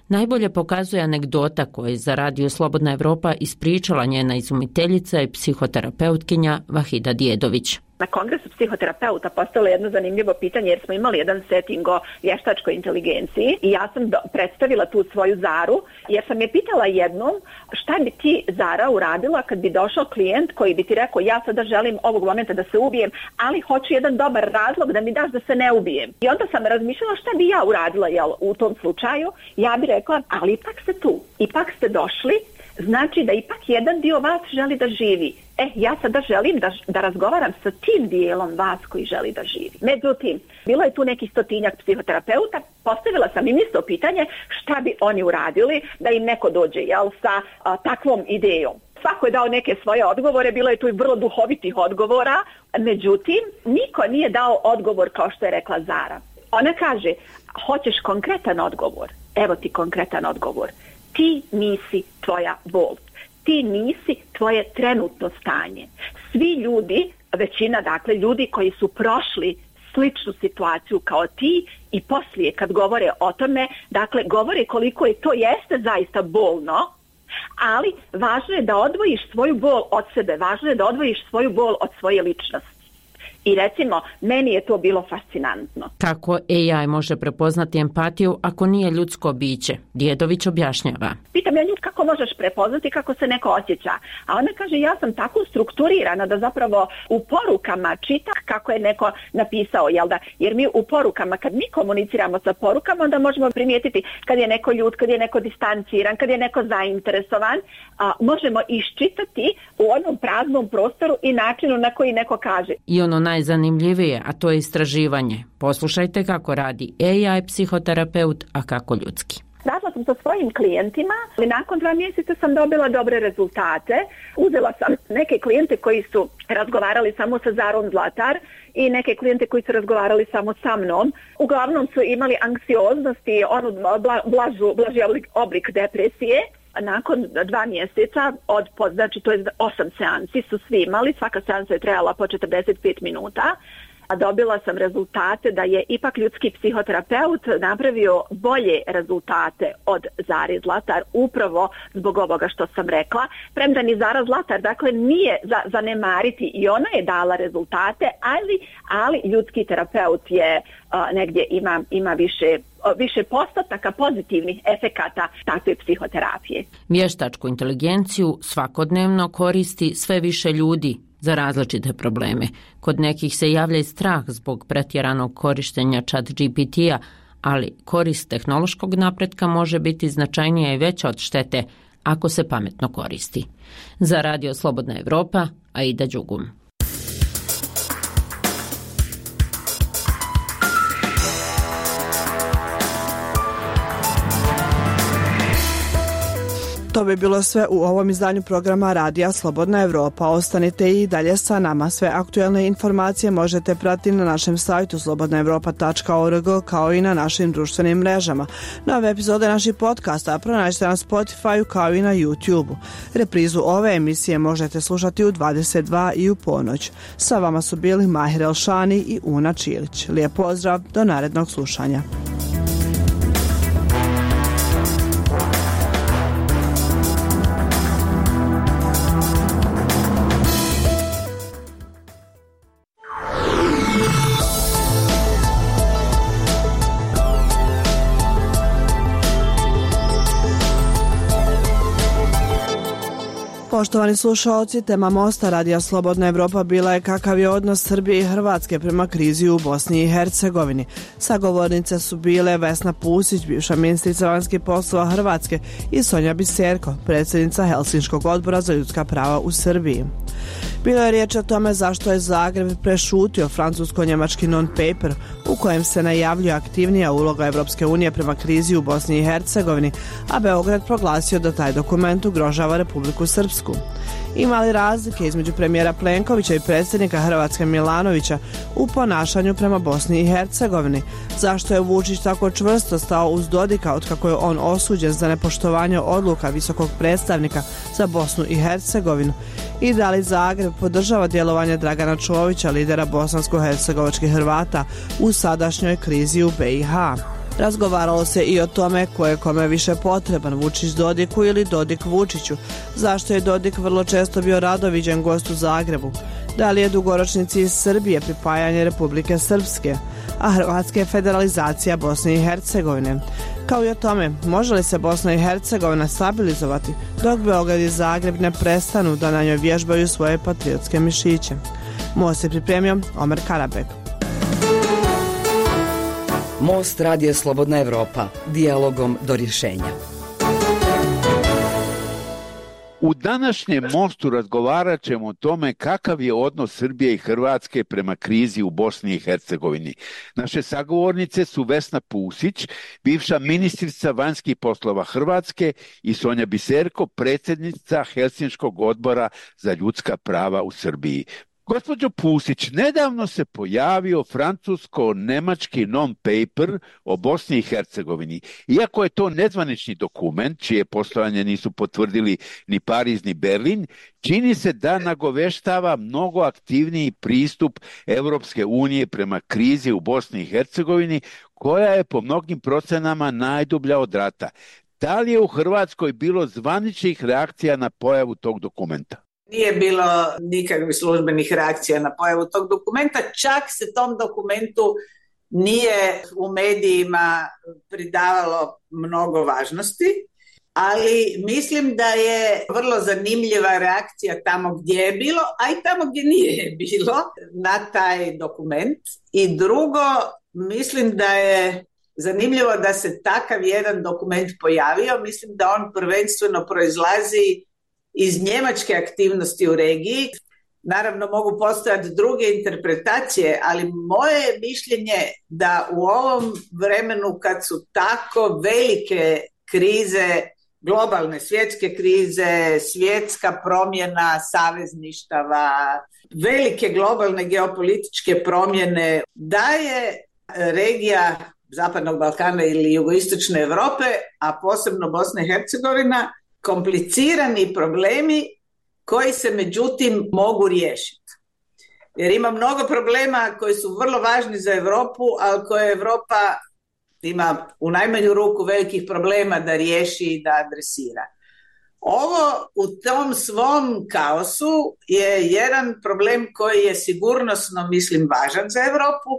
najbolje pokazuje anegdota koju za Radio Slobodna Evropa ispričala njena izumiteljica i psihoterapeutkinja Vahida Djedović. Na kongresu psihoterapeuta postalo jedno zanimljivo pitanje jer smo imali jedan setting o vještačkoj inteligenciji i ja sam do, predstavila tu svoju Zaru jer sam je pitala jednom šta bi ti Zara uradila kad bi došao klijent koji bi ti rekao ja sada želim ovog momenta da se ubijem, ali hoću jedan dobar razlog da mi daš da se ne ubijem. I onda sam razmišljala šta bi ja uradila jel, u tom slučaju. Ja bi rekla ali ipak ste tu, ipak ste došli, znači da ipak jedan dio vas želi da živi. E, ja sada želim da, da razgovaram sa tim dijelom vas koji želi da živi. Međutim, bilo je tu nekih stotinjak psihoterapeuta, postavila sam im isto pitanje šta bi oni uradili da im neko dođe jel, sa a, takvom idejom. Svako je dao neke svoje odgovore, bilo je tu i vrlo duhovitih odgovora, međutim, niko nije dao odgovor kao što je rekla Zara. Ona kaže, hoćeš konkretan odgovor? Evo ti konkretan odgovor. Ti nisi tvoja bol. Ti nisi tvoje trenutno stanje. Svi ljudi, većina dakle ljudi koji su prošli sličnu situaciju kao ti i poslije kad govore o tome, dakle govore koliko je to jeste zaista bolno, ali važno je da odvojiš svoju bol od sebe, važno je da odvojiš svoju bol od svoje ličnosti. I recimo, meni je to bilo fascinantno. Kako A I može prepoznati empatiju ako nije ljudsko biće? Djedović objašnjava. Pitam ja nju kako možeš prepoznati kako se neko osjeća. A ona kaže ja sam tako strukturirana da zapravo u porukama čitam kako je neko napisao. Jel da? Jer mi u porukama, kad mi komuniciramo sa porukama, onda možemo primijetiti kad je neko ljud, kad je neko distanciran, kad je neko zainteresovan. A, možemo iščitati u onom praznom prostoru i načinu na koji neko kaže. I ono najzanimljivije, a to je istraživanje. Poslušajte kako radi A I psihoterapeut, a kako ljudski. Radila sam sa svojim klijentima, ali nakon dva mjeseca sam dobila dobre rezultate. Uzela sam neke klijente koji su razgovarali samo sa Zarom Zlatar i neke klijente koji su razgovarali samo sa mnom. Uglavnom su imali anksioznost i onu blažu, blaži oblik, oblik depresije. Nakon dva mjeseca, od, znači to je osam seansi su svi imali, svaka seansa je trajala po četrdeset pet minuta, a dobila sam rezultate da je ipak ljudski psihoterapeut napravio bolje rezultate od Zare Zlatar upravo zbog ovoga što sam rekla. Premda ni Zara Zlatar, dakle, nije za, zanemariti i ona je dala rezultate, ali, ali ljudski terapeut je a, negdje ima, ima više više postotaka pozitivnih efekata takve psihoterapije. Vještačku inteligenciju svakodnevno koristi sve više ljudi za različite probleme. Kod nekih se javlja i strah zbog pretjeranog korištenja Chat G P T-a, ali korist tehnološkog napretka može biti značajnija i veća od štete ako se pametno koristi. Za Radio Slobodna Evropa, Aida Đugum. To bi bilo sve u ovom izdanju programa Radija Slobodna Evropa. Ostanite i dalje sa nama. Sve aktuelne informacije možete pratiti na našem sajtu slobodna evropa tačka org kao i na našim društvenim mrežama. Nove epizode naših podcasta pronađite na Spotify kao i na YouTube. Reprizu ove emisije možete slušati u dvadeset dva i u ponoć. Sa vama su bili Mahir Elšani i Una Čilić. Lijep pozdrav, do narednog slušanja. Poštovani slušalci, tema Mosta Radija Slobodna Evropa bila je kakav je odnos Srbije i Hrvatske prema krizi u Bosni i Hercegovini. Sagovornice su bile Vesna Pusić, bivša ministrica vanjskih poslova Hrvatske, i Sonja Biserko, predsjednica Helsinškog odbora za ljudska prava u Srbiji. Bilo je riječ o tome zašto je Zagreb prešutio francusko-njemački non-paper u kojem se najavljuje aktivnija uloga Evropske unije prema krizi u Bosni i Hercegovini, a Beograd proglasio da taj dokument ugrožava Republiku Srpsku. Ima li razlike između premijera Plenkovića i predsjednika Hrvatske Milanovića u ponašanju prema Bosni i Hercegovini? Zašto je Vučić tako čvrsto stao uz Dodika otkako je on osuđen za nepoštovanje odluka visokog predstavnika za Bosnu i Hercegovinu? I da li Zagreb podržava djelovanje Dragana Čovića, lidera bosansko-hercegovačkih Hrvata, u sadašnjoj krizi u be i ha? Razgovaralo se i o tome ko je kome više potreban, Vučić Dodiku ili Dodik Vučiću. Zašto je Dodik vrlo često bio rado viđen gost u Zagrebu? Da li je dugoročni cilj Srbije pripajanje Republike Srpske, a Hrvatske je federalizacija Bosne i Hercegovine? Kao i o tome, može li se Bosna i Hercegovina stabilizovati dok Beograd i Zagreb ne prestanu da na njoj vježbaju svoje patriotske mišiće? Most je pripremio Omer Karabek. Most Radija Slobodna Evropa, dijalogom do rješenja. U današnjem Mostu razgovarat ćemo o tome kakav je odnos Srbije i Hrvatske prema krizi u Bosni i Hercegovini. Naše sagovornice su Vesna Pusić, bivša ministrica vanjskih poslova Hrvatske, i Sonja Biserko, predsjednica Helsinškog odbora za ljudska prava u Srbiji. Gospođo Pusić, nedavno se pojavio francusko-nemački non-paper o Bosni i Hercegovini. Iako je to nezvanični dokument, čije postojanje nisu potvrdili ni Pariz ni Berlin, čini se da nagoveštava mnogo aktivniji pristup Evropske unije prema krizi u Bosni i Hercegovini, koja je po mnogim procenama najdublja od rata. Da li je u Hrvatskoj bilo zvaničnih reakcija na pojavu tog dokumenta? Nije bilo nikakvih službenih reakcija na pojavu tog dokumenta, čak se tom dokumentu nije u medijima pridavalo mnogo važnosti, ali mislim da je vrlo zanimljiva reakcija tamo gdje je bilo, a i tamo gdje nije bilo na taj dokument. I drugo, mislim da je zanimljivo da se takav jedan dokument pojavio, mislim da on prvenstveno proizlazi iz njemačke aktivnosti u regiji. Naravno mogu postojati druge interpretacije, ali moje mišljenje da u ovom vremenu kad su tako velike krize, globalne svjetske krize, svjetska promjena savezništava, velike globalne geopolitičke promjene, da je regija Zapadnog Balkana ili jugoistočne Europe, a posebno Bosna i Hercegovina, komplicirani problemi koji se međutim mogu riješiti. Jer ima mnogo problema koji su vrlo važni za Europu, ali koje Europa ima u najmanju ruku velikih problema da riješi i da adresira. Ovo u tom svom kaosu je jedan problem koji je sigurnosno, mislim, važan za Europu,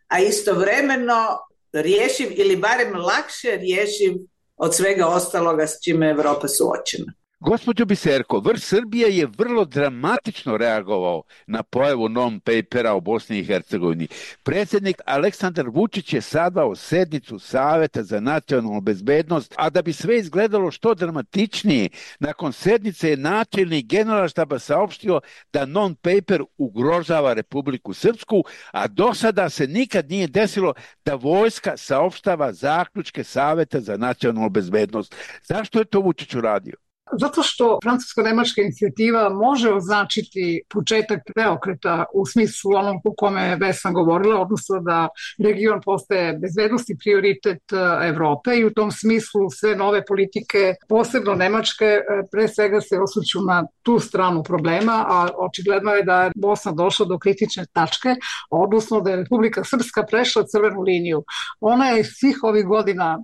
a istovremeno rješiv ili barem lakše rješiv od svega ostaloga s čime je Europa suočena. Gospođo Biserko, vrh Srbije je vrlo dramatično reagovao na pojavu non-papera o Bosni i Hercegovini. Predsjednik Aleksandar Vučić je sazvao sednicu Saveta za nacionalnu bezbednost, a da bi sve izgledalo što dramatičnije, nakon sednice je načelnik Generalštaba saopštio da non-paper ugrožava Republiku Srpsku, a do sada se nikad nije desilo da vojska saopštava zaključke Saveta za nacionalnu bezbednost. Zašto je to Vučić uradio? Zato što francusko-nemačka inicijativa može označiti početak preokreta u smislu onom u kome je Vesna govorila, odnosno da region postaje bezbednosti prioritet Evrope i u tom smislu sve nove politike, posebno nemačke, pre svega se osvrću na tu stranu problema, a očigledno je da je Bosna došla do kritične tačke, odnosno da je Republika Srpska prešla crvenu liniju. Ona je svih ovih godina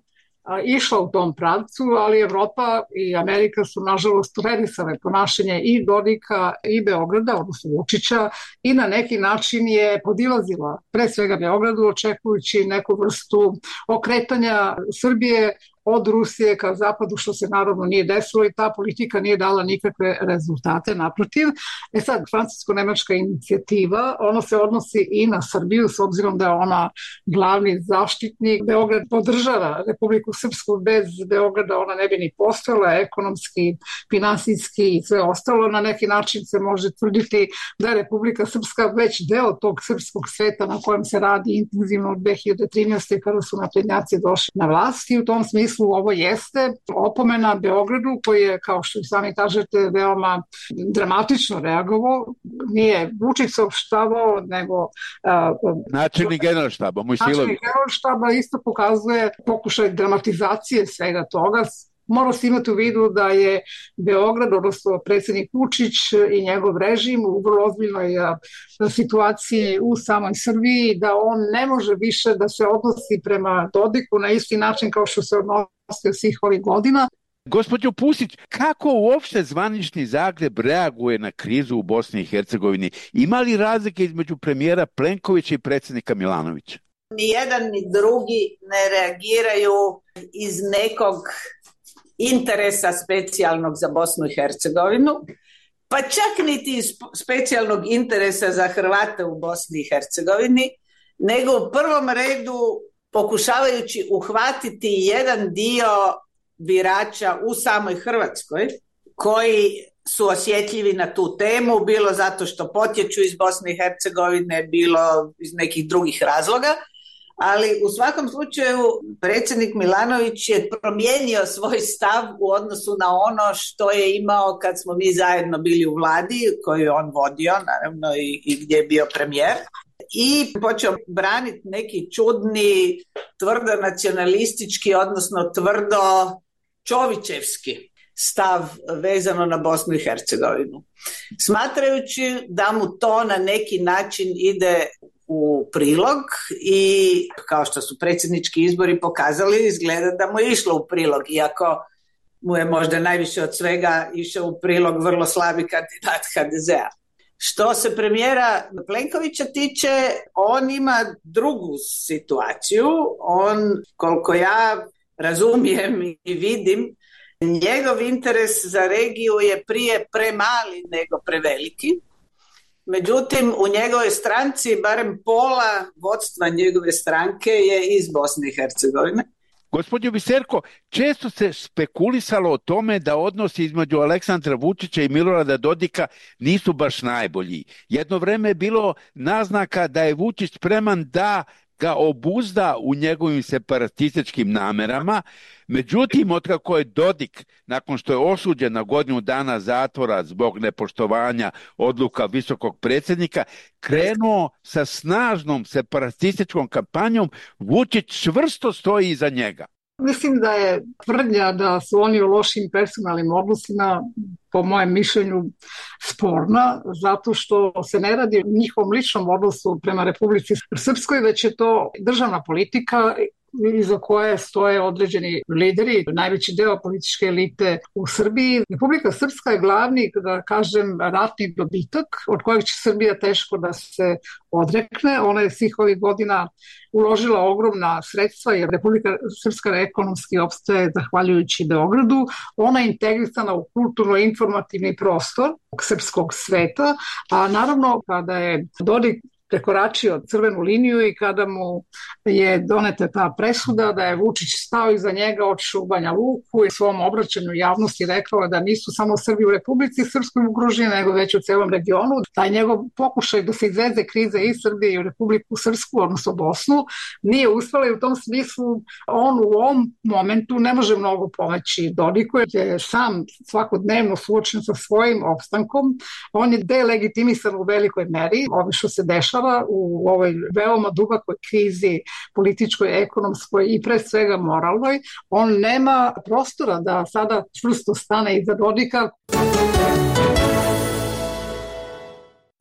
išla u tom pravcu, ali Evropa i Amerika su nažalost tolerisale ponašanje i Dodika i Beograda, odnosno Vučića, i na neki način je podilazila pre svega Beogradu, očekujući neku vrstu okretanja Srbije od Rusije ka zapadu, što se naravno nije desilo i ta politika nije dala nikakve rezultate, naprotiv. E sad, francusko-nemačka inicijativa, ona se odnosi i na Srbiju, s obzirom da je ona glavni zaštitnik. Beograd podržava Republiku Srpsku, bez Beograda ona ne bi ni postojala, ekonomski, finansijski i sve ostalo. Na neki način se može tvrditi da je Republika Srpska već deo tog srpskog sveta na kojem se radi intenzivno od dve hiljade trinaeste. kada su naprednjaci došli na vlast i u tom smislu ovo jeste opomena Beogradu koji je, kao što i sami kažete, veoma dramatično reagovao. Nije Vučić saopštavao, nego uh, načelnik generalštaba, Mojsilović. Načelnik generalštaba isto pokazuje pokušaj dramatizacije svega toga. Mora se imati u vidu da je Beograd, odnosno predsjednik Vučić i njegov režim u vrlo ozbiljnoj situaciji u samoj Srbiji, da on ne može više da se odnosi prema Dodiku na isti način kao što se odnosio svih ovih godina. Gospođo Pusić, kako uopšte zvanični Zagreb reaguje na krizu u Bosni i Hercegovini? Ima li razlike između premijera Plenkovića i predsjednika Milanovića? Ni jedan ni drugi ne reagiraju iz nekog interesa specijalnog za Bosnu i Hercegovinu, pa čak niti iz specijalnog interesa za Hrvate u Bosni i Hercegovini, nego u prvom redu pokušavajući uhvatiti jedan dio birača u samoj Hrvatskoj koji su osjetljivi na tu temu, bilo zato što potječu iz Bosne i Hercegovine, bilo iz nekih drugih razloga. Ali u svakom slučaju predsjednik Milanović je promijenio svoj stav u odnosu na ono što je imao kad smo mi zajedno bili u vladi koju je on vodio, naravno i, i gdje je bio premijer, i počeo braniti neki čudni, tvrdo nacionalistički, odnosno tvrdo čovićevski stav vezano na Bosnu i Hercegovinu. Smatrajući da mu to na neki način ide u prilog i kao što su predsjednički izbori pokazali, izgleda da mu je išlo u prilog, iako mu je možda najviše od svega išao u prilog vrlo slabi kandidat ha de zea. Što se premijera Plenkovića tiče, on ima drugu situaciju. On, koliko ja razumijem i vidim, njegov interes za regiju je prije premali nego preveliki. Međutim, u njegovoj stranci barem pola vodstva njegove stranke je iz Bosne i Hercegovine. Gospođo Biserko, često se spekulisalo o tome da odnosi između Aleksandra Vučića i Milorada Dodika nisu baš najbolji. Jedno vreme je bilo naznaka da je Vučić spreman da ga obuzda u njegovim separatističkim namerama. Međutim, otkako je Dodik, nakon što je osuđen na godinu dana zatvora zbog nepoštovanja odluka visokog predsjednika, krenuo sa snažnom separatističkom kampanjom, Vučić čvrsto stoji iza njega. Mislim da je tvrdnja da su oni u lošim personalnim odnosima, po mojem mišljenju, sporna, zato što se ne radi o njihovom ličnom odnosu prema Republici Srpskoj, već je to državna politika iza koje stoje određeni lideri, najveći deo političke elite u Srbiji. Republika Srpska je glavni, da kažem, ratni dobitak od kojeg će Srbija teško da se odrekne. Ona je svih ovih godina uložila ogromna sredstva jer Republika Srpska ekonomski opstaje zahvaljujući Beogradu. Ona je integrisana u kulturno-informativni prostor srpskog sveta, a naravno kada je Dodik prekoračio crvenu liniju i kada mu je doneta ta presuda da je Vučić stao iza njega, otišao u Banja Luku i u svom obraćanju javnosti rekao da nisu samo Srbi u Republici Srpskoj ugroženi, nego već u celom regionu. Taj njegov pokušaj da se izveze krize i Srbije i u Republiku Srpsku, odnosno Bosnu, nije uspela i u tom smislu on u ovom momentu ne može mnogo pomoći Dodiku, jer je sam svakodnevno suočen sa svojim opstankom. On je delegitimisan u velikoj meri, ovo što se dešava u ovoj veoma dubokoj krizi političkoj, ekonomskoj i pre svega moralnoj. On nema prostora da sada čvrsto stane iza Dodika.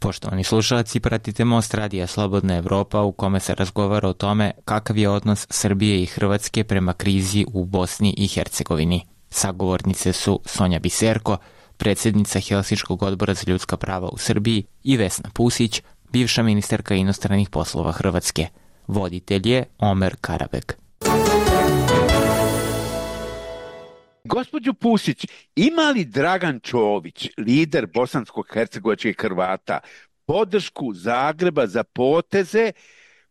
Poštovani slušalci, pratite Most Radija Slobodna Evropa u kome se razgovara o tome kakav je odnos Srbije i Hrvatske prema krizi u Bosni i Hercegovini. Sagovornice su Sonja Biserko, predsjednica Helsinškog odbora za ljudska prava u Srbiji, i Vesna Pusić, bivša ministarka inostranih poslova Hrvatske. Voditelj je Omer Karabek. Gospođo Pusić, ima li Dragan Čović, lider bosansko-hercegovačkih Hrvata, podršku Zagreba za poteze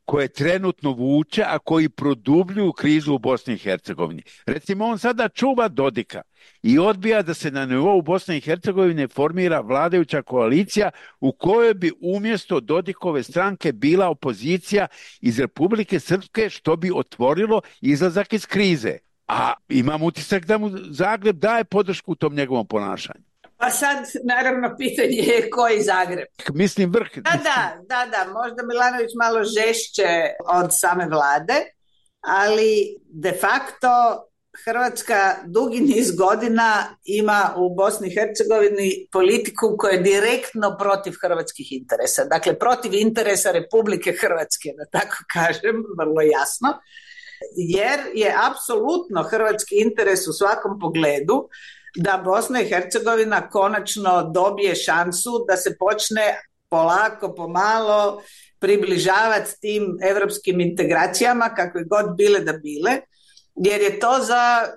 koje trenutno vuče, a koji produbljuju krizu u Bosni i Hercegovini? Recimo, on sada čuva Dodika i odbija da se na nivou Bosne i Hercegovine formira vladajuća koalicija u kojoj bi umjesto Dodikove stranke bila opozicija iz Republike Srpske, što bi otvorilo izlazak iz krize. A imam utisak da mu Zagreb daje podršku u tom njegovom ponašanju. Pa sad, naravno, pitanje je koji Zagreb. Mislim vrh. Da, da, da, da, možda Milanović malo žešće od same vlade, ali de facto Hrvatska dugi niz godina ima u Bosni i Hercegovini politiku koja je direktno protiv hrvatskih interesa. Dakle, protiv interesa Republike Hrvatske, da tako kažem, vrlo jasno. Jer je apsolutno hrvatski interes u svakom pogledu da Bosna i Hercegovina konačno dobije šansu da se počne polako, pomalo približavati tim evropskim integracijama, kakve god bile da bile, jer je to za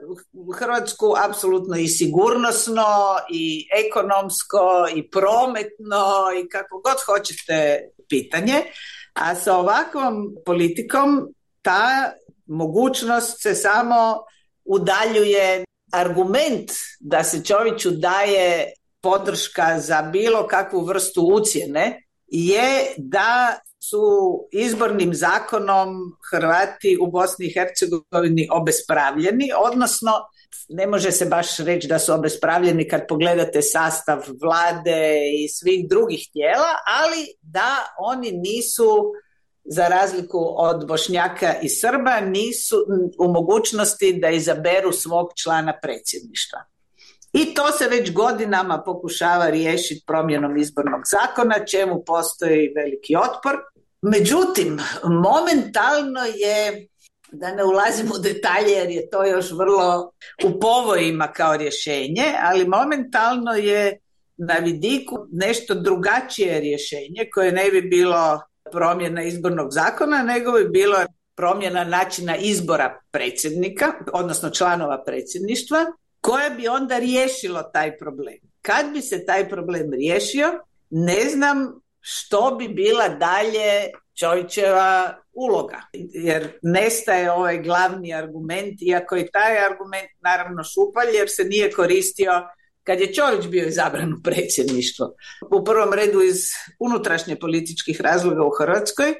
Hrvatsku apsolutno i sigurnosno, i ekonomsko, i prometno, i kako god hoćete pitanje. A sa ovakvom politikom ta mogućnost se samo udaljuje. Argument da se Čoviću daje podrška za bilo kakvu vrstu ucjene je da su izbornim zakonom Hrvati u Bosni i Hercegovini obespravljeni, odnosno ne može se baš reći da su obespravljeni kad pogledate sastav vlade i svih drugih tijela, ali da oni nisu, za razliku od Bošnjaka i Srba, nisu u mogućnosti da izaberu svog člana predsjedništva. I to se već godinama pokušava riješiti promjenom izbornog zakona, čemu postoji veliki otpor. Međutim, momentalno je, da ne ulazim u detalje jer je to još vrlo u povojima kao rješenje, ali momentalno je na vidiku nešto drugačije rješenje koje ne bi bilo promjena izbornog zakona, nego bi bilo promjena načina izbora predsjednika, odnosno članova predsjedništva, koje bi onda riješilo taj problem. Kad bi se taj problem riješio, ne znam što bi bila dalje Čovićeva uloga, jer nestaje ovaj glavni argument, iako i taj argument naravno šupalj, jer se nije koristio kad je Čović bio izabran u predsjedništvo. U prvom redu iz unutrašnje političkih razloga u Hrvatskoj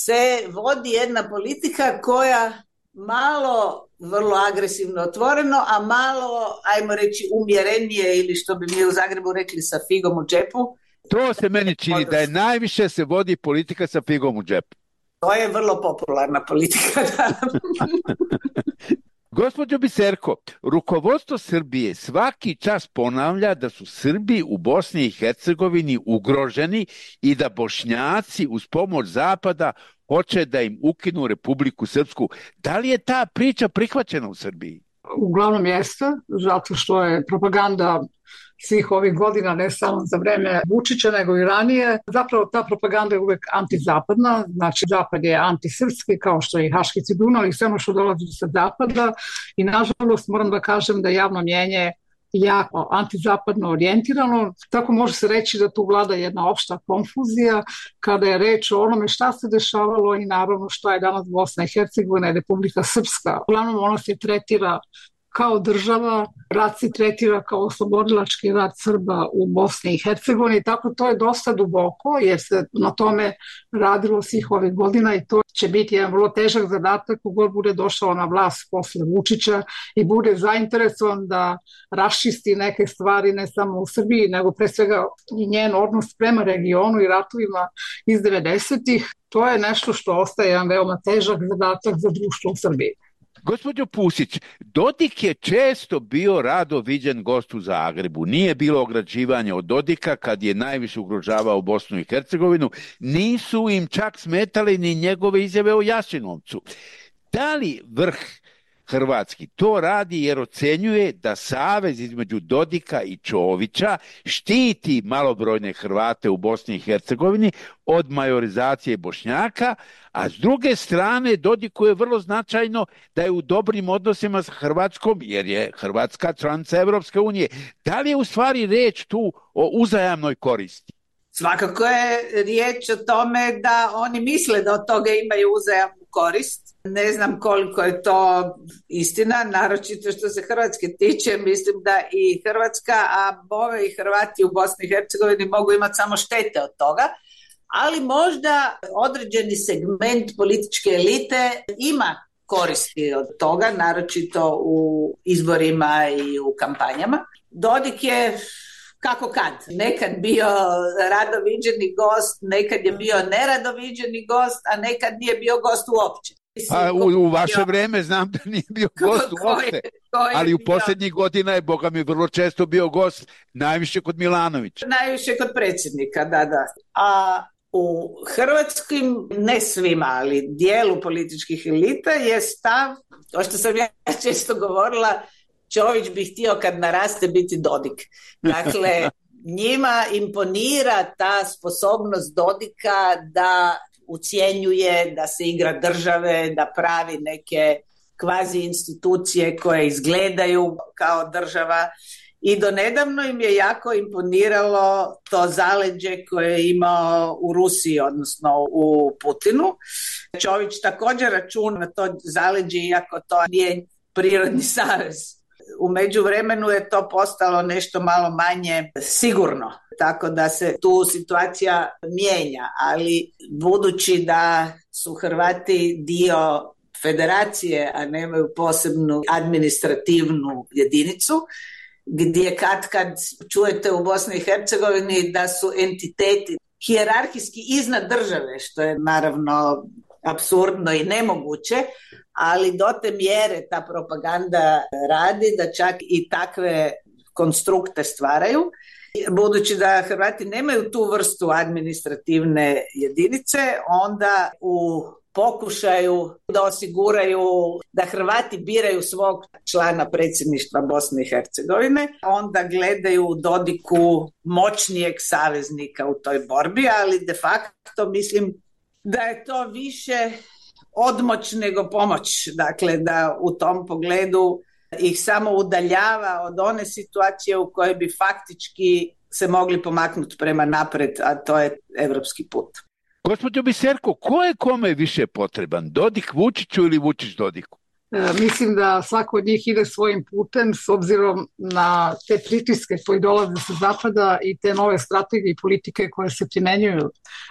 se vodi jedna politika koja malo vrlo agresivno otvoreno, a malo, ajmo reći, umjerenije, ili što bi mi u Zagrebu rekli, sa figom u džepu. To se meni čini da je najviše se vodi politika sa figom u džepu. To je vrlo popularna politika, da. Gospođo Biserko, rukovodstvo Srbije svaki čas ponavlja da su Srbi u Bosni i Hercegovini ugroženi i da Bošnjaci uz pomoć Zapada hoće da im ukinu Republiku Srpsku. Da li je ta priča prihvaćena u Srbiji? Uglavnom jeste, zato što je propaganda svih ovih godina, ne samo za vreme Vučića, nego i ranije. Zapravo ta propaganda je uvek antizapadna, znači Zapad je antisrpski, kao što je i Haški Cidunav i sve ono što dolazi sa Zapada. I nažalost moram da kažem da javno mjenje jako antizapadno orijentirano, tako može se reći da tu vlada jedna opšta konfuzija kada je reč o onome šta se dešavalo i naravno šta je danas Bosna i Hercegovina i Republika Srpska. Uglavnom ona se tretira kao država, rat se tretira kao oslobodilački rat Srba u Bosni i Hercegovini, tako to je dosta duboko jer se na tome radilo svih ovih godina i to će biti jedan vrlo težak zadatak kogod bude došao na vlast posle Vučića i bude zainteresovan da raščisti neke stvari ne samo u Srbiji, nego pre svega i njen odnos prema regionu i ratovima iz devedesetih. To je nešto što ostaje jedan veoma težak zadatak za društvo u Srbiji. Gospođo Pusić, Dodik je često bio rado viđen gost u Zagrebu. Nije bilo ograđivanja od Dodika kad je najviše ugrožavao Bosnu i Hercegovinu. Nisu im čak smetali ni njegove izjave o Jasenovcu. Da li vrh hrvatski to radi jer ocenjuje da savez između Dodika i Čovića štiti malobrojne Hrvate u Bosni i Hercegovini od majorizacije Bošnjaka, a s druge strane Dodiku je vrlo značajno da je u dobrim odnosima s Hrvatskom jer je Hrvatska članica Evropske unije. Da li je u stvari reč tu o uzajamnoj koristi? Svakako je riječ o tome da oni misle da od toga imaju uzajamnu korist. Ne znam koliko je to istina, naročito što se Hrvatske tiče, mislim da i Hrvatska, a bove i Hrvati u Bosni i Hercegovini mogu imati samo štete od toga, ali možda određeni segment političke elite ima koristi od toga, naročito u izborima i u kampanjama. Dodik je kako kad, nekad bio radoviđeni gost, nekad je bio neradoviđeni gost, a nekad nije bio gost uopće. A u, u vaše bio... vreme znam da nije bio gost uopće, ali u posljednjih godina je, boga mi, vrlo često bio gost, najviše kod Milanovića. Najviše kod predsjednika, da, da. A u hrvatskim, ne svima, ali dijelu političkih elita je stav, to što sam ja često govorila, Čović bi htio kad naraste biti Dodik. Dakle, njima imponira ta sposobnost Dodika da ucjenjuje, da se igra države, da pravi neke kvazi institucije koje izgledaju kao država. I donedavno im je jako imponiralo to zaleđe koje je imao u Rusiji, odnosno u Putinu. Čović također računa na to zaleđe, iako to nije prirodni savez. U međuvremenu je to postalo nešto malo manje sigurno, tako da se tu situacija mijenja, ali budući da su Hrvati dio federacije, a nemaju posebnu administrativnu jedinicu, gdje kad kad čujete u Bosni i Hercegovini da su entiteti hijerarhijski iznad države, što je naravno apsurdno i nemoguće, ali do te mjere ta propaganda radi da čak i takve konstrukte stvaraju. Budući da Hrvati nemaju tu vrstu administrativne jedinice, onda u pokušaju da osiguraju da Hrvati biraju svog člana predsjedništva Bosne i Hercegovine, onda gledaju u Dodiku moćnijeg saveznika u toj borbi, ali de facto mislim da je to više odmoć nego pomoć, dakle da u tom pogledu ih samo udaljava od one situacije u kojoj bi faktički se mogli pomaknuti prema napred, a to je evropski put. Gospođo Biserko, ko je kome više potreban? Dodik Vučiću ili Vučić Dodiku? E, mislim da svako od njih ide svojim putem s obzirom na te pritiske koji dolaze sa zapada i te nove strategije i politike koje se primenjuju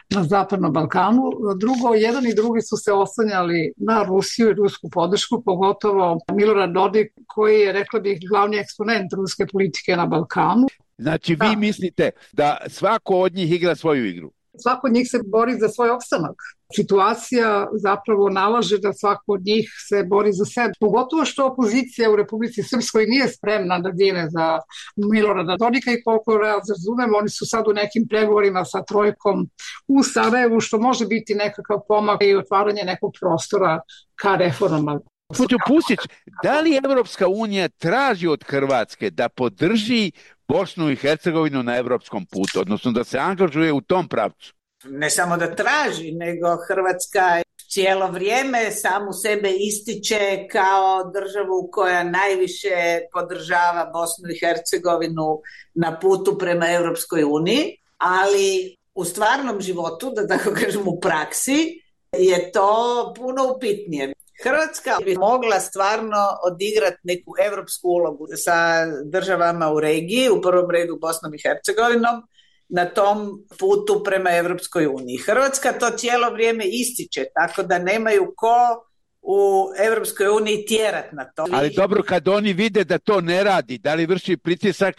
na Zapadnom Balkanu. Drugo, jedan i drugi su se oslanjali na Rusiju i rusku podršku, pogotovo Milorad Dodik koji je, rekla bih, glavni eksponent ruske politike na Balkanu. Znači vi da. mislite da svako od njih igra svoju igru? Svako od njih se bori za svoj opstanak. Situacija zapravo nalaže da svako od njih se bori za sebe. Pogotovo što opozicija u Republici Srpskoj nije spremna da dine za Milorada Dodika i koliko razumem, oni su sad u nekim pregovorima sa trojkom u Sarajevu, što može biti nekakav pomak i otvaranje nekog prostora ka reformama. Gospođo Pusić, da li Evropska unija traži od Hrvatske da podrži Bosnu i Hercegovinu na evropskom putu, odnosno da se angažuje u tom pravcu? Ne samo da traži, nego Hrvatska cijelo vrijeme samu sebe ističe kao državu koja najviše podržava Bosnu i Hercegovinu na putu prema Europskoj uniji, ali u stvarnom životu, da tako kažem u praksi, je to puno upitnije. Hrvatska bi mogla stvarno odigrati neku europsku ulogu sa državama u regiji, u prvom redu Bosnom i Hercegovinom, na tom putu prema Europskoj uniji. Hrvatska to cijelo vrijeme ističe, tako da nemaju ko u Europskoj uniji tjerat na to. Ali dobro, kad oni vide da to ne radi, da li vrši pritisak,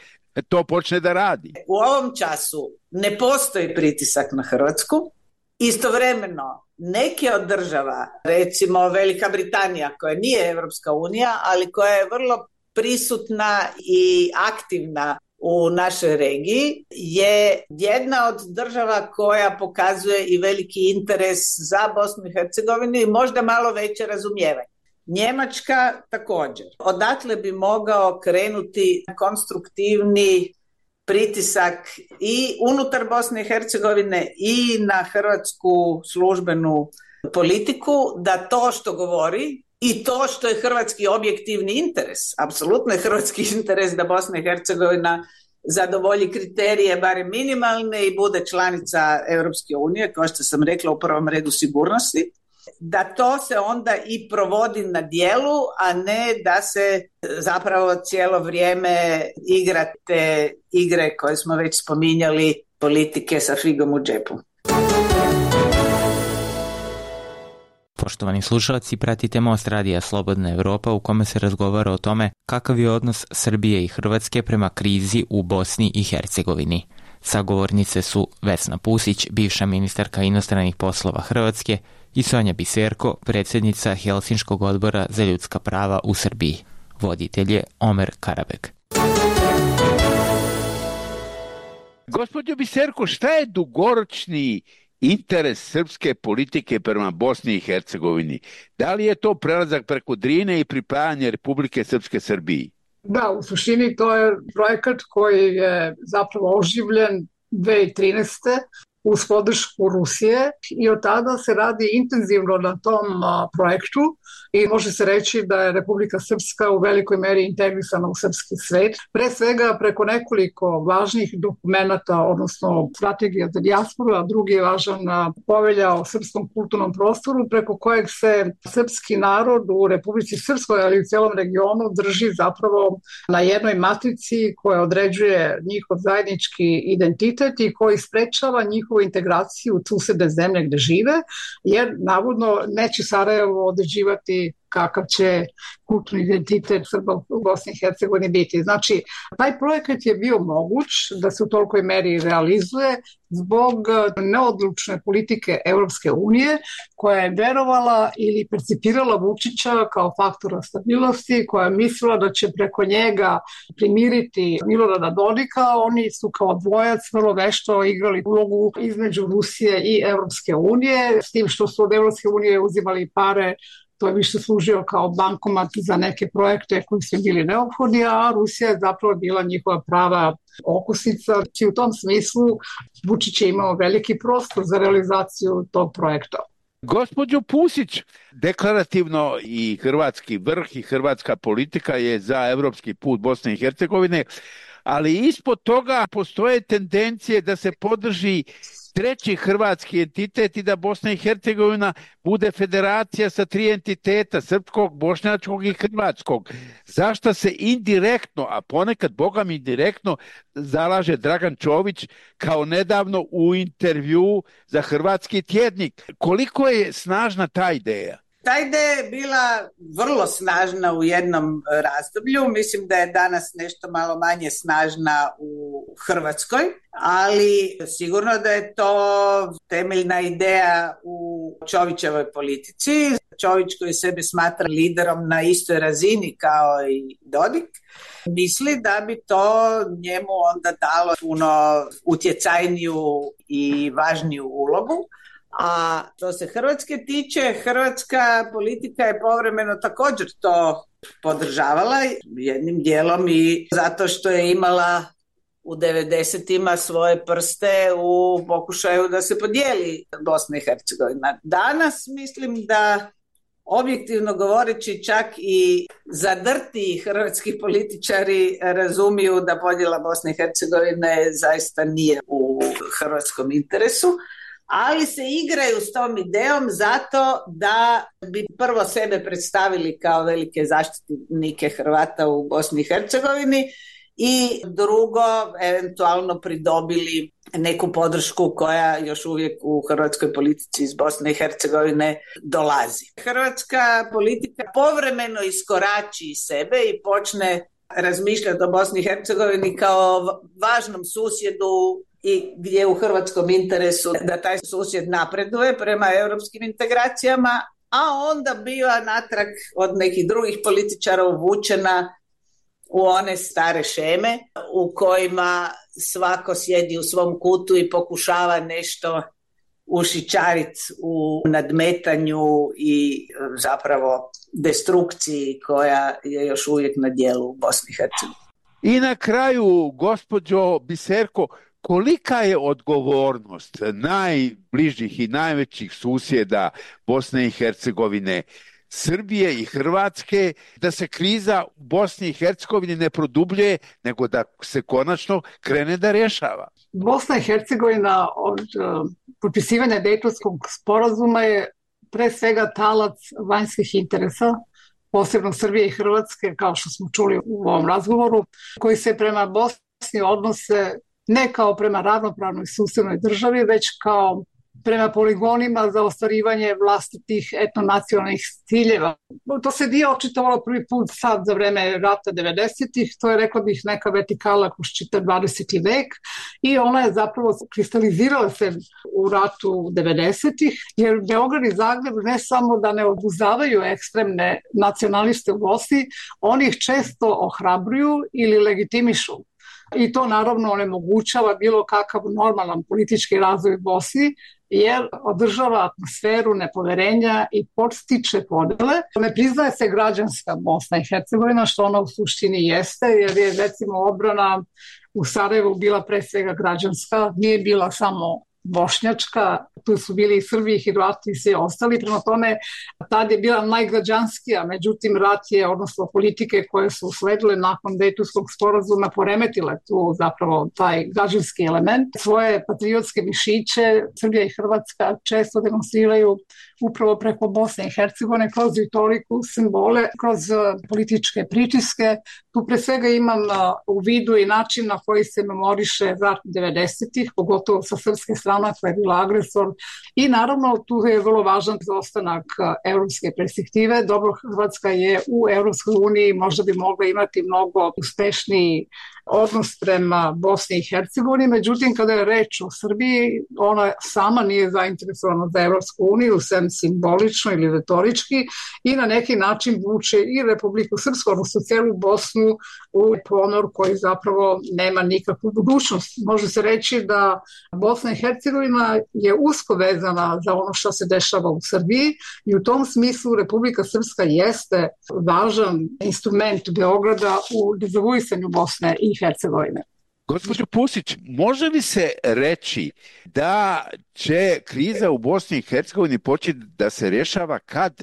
to počne da radi? U ovom času ne postoji pritisak na Hrvatsku. Istovremeno, neke od država, recimo Velika Britanija, koja nije Europska unija, ali koja je vrlo prisutna i aktivna u našoj regiji, je jedna od država koja pokazuje i veliki interes za Bosnu i Hercegovinu i možda malo veće razumijevanje. Njemačka također. Odatle bi mogao krenuti konstruktivni pritisak i unutar Bosne i Hercegovine i na hrvatsku službenu politiku da to što govori i to što je hrvatski objektivni interes, apsolutno je hrvatski interes da Bosna i Hercegovina zadovolji kriterije barem minimalne i bude članica Europske unije, kao što sam rekla u prvom redu sigurnosti, da to se onda i provodi na djelu, a ne da se zapravo cijelo vrijeme igra te igre koje smo već spominjali, politike sa figom u džepu. Poštovani slušalci, pratite Most radija Slobodna Evropa u kome se razgovara o tome kakav je odnos Srbije i Hrvatske prema krizi u Bosni i Hercegovini. Sagovornice su Vesna Pusić, bivša ministarka inostranih poslova Hrvatske, i Sonja Biserko, predsjednica Helsinškog odbora za ljudska prava u Srbiji. Voditelj je Omer Karabek. Gospođo Biserko, šta je dugoročni interes srpske politike prema Bosni i Hercegovini? Da li je to prelazak preko Drine i pripajanje Republike Srpske Srbiji? Da, u suštini to je projekat koji je zapravo oživljen dve hiljade trinaeste. uz podršku Rusije i od tada se radi intenzivno na tom a, projektu i može se reći da je Republika Srpska u velikoj meri integrisana u srpski svet. Pre svega preko nekoliko važnih dokumenata, odnosno strategija za dijasporu, a drugi je važan povelja o srpskom kulturnom prostoru, preko kojeg se srpski narod u Republici Srpskoj, ali i u cijelom regionu drži zapravo na jednoj matrici koja određuje njihov zajednički identitet i koji sprečava njihovu integraciju u susedne zemlje gde žive, jer navodno neće Sarajevo određivati kakav će kulturni identitet Srba u Bosni i Hercegovini biti. Znači, taj projekat je bio moguć da se u tolikoj meri realizuje zbog neodlučne politike Europske unije, koja je verovala ili percipirala Vučića kao faktora stabilnosti, koja je mislila da će preko njega primiriti Milorada Dodika. Oni su kao dvojac vrlo vešto igrali ulogu između Rusije i Europske unije, s tim što su od Europske unije uzimali pare. To je više služio kao bankomat za neke projekte koji su bili neophodni, a Rusija je zapravo bila njihova prava okosnica. I u tom smislu Vučić je imao veliki prostor za realizaciju tog projekta. Gospođo Pusić, deklarativno i hrvatski vrh i hrvatska politika je za evropski put Bosne i Hercegovine, ali ispod toga postoje tendencije da se podrži treći hrvatski entitet i da Bosna i Hercegovina bude federacija sa tri entiteta, srpskog, bošnjačkog i hrvatskog. Zašto se indirektno, a ponekad bogam indirektno, zalaže Dragan Čović kao nedavno u intervju za Hrvatski tjednik? Koliko je snažna ta ideja? Ta ideja je bila vrlo snažna u jednom razdoblju, mislim da je danas nešto malo manje snažna u Hrvatskoj, ali sigurno da je to temeljna ideja u Čovićevoj politici. Čović koji sebe smatra liderom na istoj razini kao i Dodik, misli da bi to njemu onda dalo puno utjecajniju i važniju ulogu. A što se Hrvatske tiče, hrvatska politika je povremeno također to podržavala jednim dijelom i zato što je imala u devedesetima svoje prste u pokušaju da se podijeli Bosna i Hercegovina. Danas mislim da objektivno govoreći čak i zadrti hrvatski političari razumiju da podjela Bosne i Hercegovine zaista nije u hrvatskom interesu, ali se igraju s tom idejom zato da bi prvo sebe predstavili kao velike zaštitnike Hrvata u Bosni i Hercegovini i drugo eventualno pridobili neku podršku koja još uvijek u hrvatskoj politici iz Bosne i Hercegovine dolazi. Hrvatska politika povremeno iskorači iz sebe i počne razmišljati o Bosni i Hercegovini kao važnom susjedu i gdje je u hrvatskom interesu da taj susjed napreduje prema europskim integracijama, a onda biva natrag od nekih drugih političara uvučena u one stare šeme u kojima svako sjedi u svom kutu i pokušava nešto ušićariti u nadmetanju i zapravo destrukciji koja je još uvijek na djelu u Bosni i Hercegovini. I na kraju, gospođo Biserko, kolika je odgovornost najbližih i najvećih susjeda Bosne i Hercegovine, Srbije i Hrvatske, da se kriza u Bosni i Hercegovini ne produbljuje, nego da se konačno krene da rješava? Bosna i Hercegovina od uh, potpisivanja Dejtonskog sporazuma je pre svega talac vanjskih interesa, posebno Srbije i Hrvatske, kao što smo čuli u ovom razgovoru, koji se prema Bosni odnose ne kao prema ravnopravnoj susednoj državi, već kao prema poligonima za ostvarivanje vlastitih etnonacionalnih ciljeva. To se nije očitovalo prvi put sad za vreme rata devedesetih, to je, rekla bih, neka vertikala kroz čitav dvadeseti vek i ona je zapravo kristalizirala se u ratu devedesetih, jer Beograd i Zagreb ne samo da ne obuzavaju ekstremne nacionaliste u Bosni, oni ih često ohrabruju ili legitimišu. I to naravno onemogućava bilo kakav normalan politički razvoj u Bosni, jer održava atmosferu nepoverenja i podstiče podele. Ne priznaje se građanska Bosna i Hercegovina, što ona u suštini jeste, jer je recimo odbrana u Sarajevu bila pre svega građanska, nije bila samo bošnjačka, tu su bili i Srbi, i Hrvati i svi ostali, prema tome tad je bila najgrađanskija, međutim rat je, odnosno politike koje su usledile nakon Dejtonskog sporazuma poremetile tu zapravo taj građanski element. Svoje patriotske mišiće Srbija i Hrvatska često demonstriraju upravo preko Bosne i Hercegovine kroz retoriku, simbole, kroz političke pritiske. Tu pre svega imam u vidu i način na koji se memoriše rat devedesetih, pogotovo sa srpske strane koja je bila agresor. I naravno tu je vrlo važan ostanak evropske perspektive. Dobro, Hrvatska je u Evropskoj uniji, možda bi mogla imati mnogo uspešniji odnos prema Bosni i Hercegovini, međutim kada je reč o Srbiji, ona sama nije zainteresovana za Evropsku uniju, sem simbolično ili retorički, i na neki način vuče i Republiku Srpsku, odnosno celu Bosnu, u ponor koji zapravo nema nikakvu budućnost. Može se reći da Bosna i Hercegovina je usko vezana za ono što se dešava u Srbiji i u tom smislu Republika Srpska jeste važan instrument Beograda u dezavuisanju Bosne i Hercegovine. Gospođo Pusić, može li se reći da će kriza u Bosni i Hercegovini početi da se rješava kad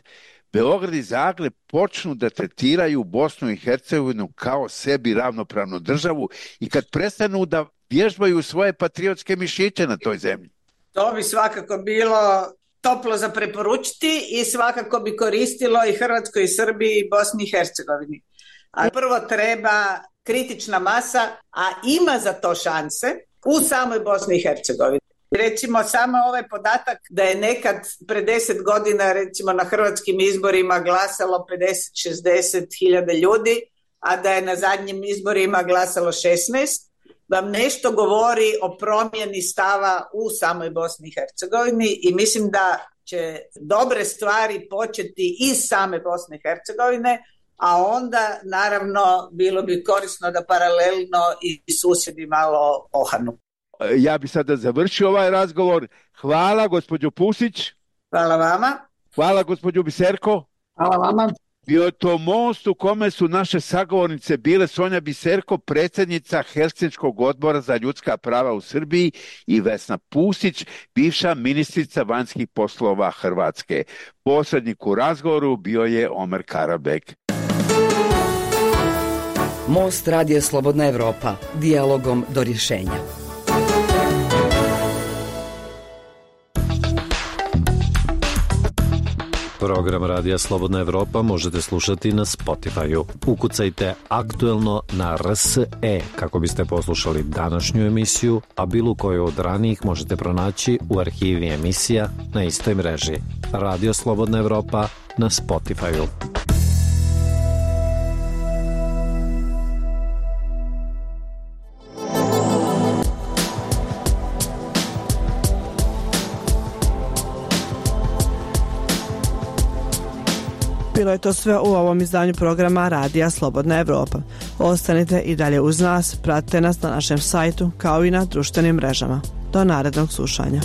Beograd i Zagreb počnu da tretiraju Bosnu i Hercegovinu kao sebi ravnopravnu državu i kad prestanu da vježbaju svoje patriotske mišiće na toj zemlji? To bi svakako bilo toplo za preporučiti i svakako bi koristilo i Hrvatskoj, i Srbiji, i Bosni i Hercegovini. A prvo treba kritična masa, a ima za to šanse u samoj Bosni i Hercegovini. Recimo samo ovaj podatak da je nekad pre deset godina recimo na hrvatskim izborima glasalo pedeset do šezdeset hiljada ljudi, a da je na zadnjim izborima glasalo šesnaest, vam nešto govori o promjeni stava u samoj Bosni i Hercegovini i mislim da će dobre stvari početi iz same Bosne i Hercegovine, a onda naravno bilo bi korisno da paralelno i susjedi malo ohanu. Ja bi sada završio ovaj razgovor. Hvala gospođo Pusić. Hvala vama. Hvala gospođo Biserko. Hvala vama. Bio je to most u kome su naše sagovornice bile Sonja Biserko, predsjednica Helsinškog odbora za ljudska prava u Srbiji, i Vesna Pusić, bivša ministrica vanjskih poslova Hrvatske. Posrednik u razgovoru bio je Omer Karabek. Most Radija Slobodna Evropa, dijalogom do rješenja. Program Radija Slobodna Evropa možete slušati na Spotify-u. Ukucajte aktuelno na R S E kako biste poslušali današnju emisiju, a bilo koju od ranijih možete pronaći u arhivi emisija na istoj mreži. Radio Slobodna Evropa na Spotify-u. Bilo je to sve u ovom izdanju programa Radija Slobodna Evropa. Ostanite i dalje uz nas, pratite nas na našem sajtu kao i na društvenim mrežama. Do narednog slušanja.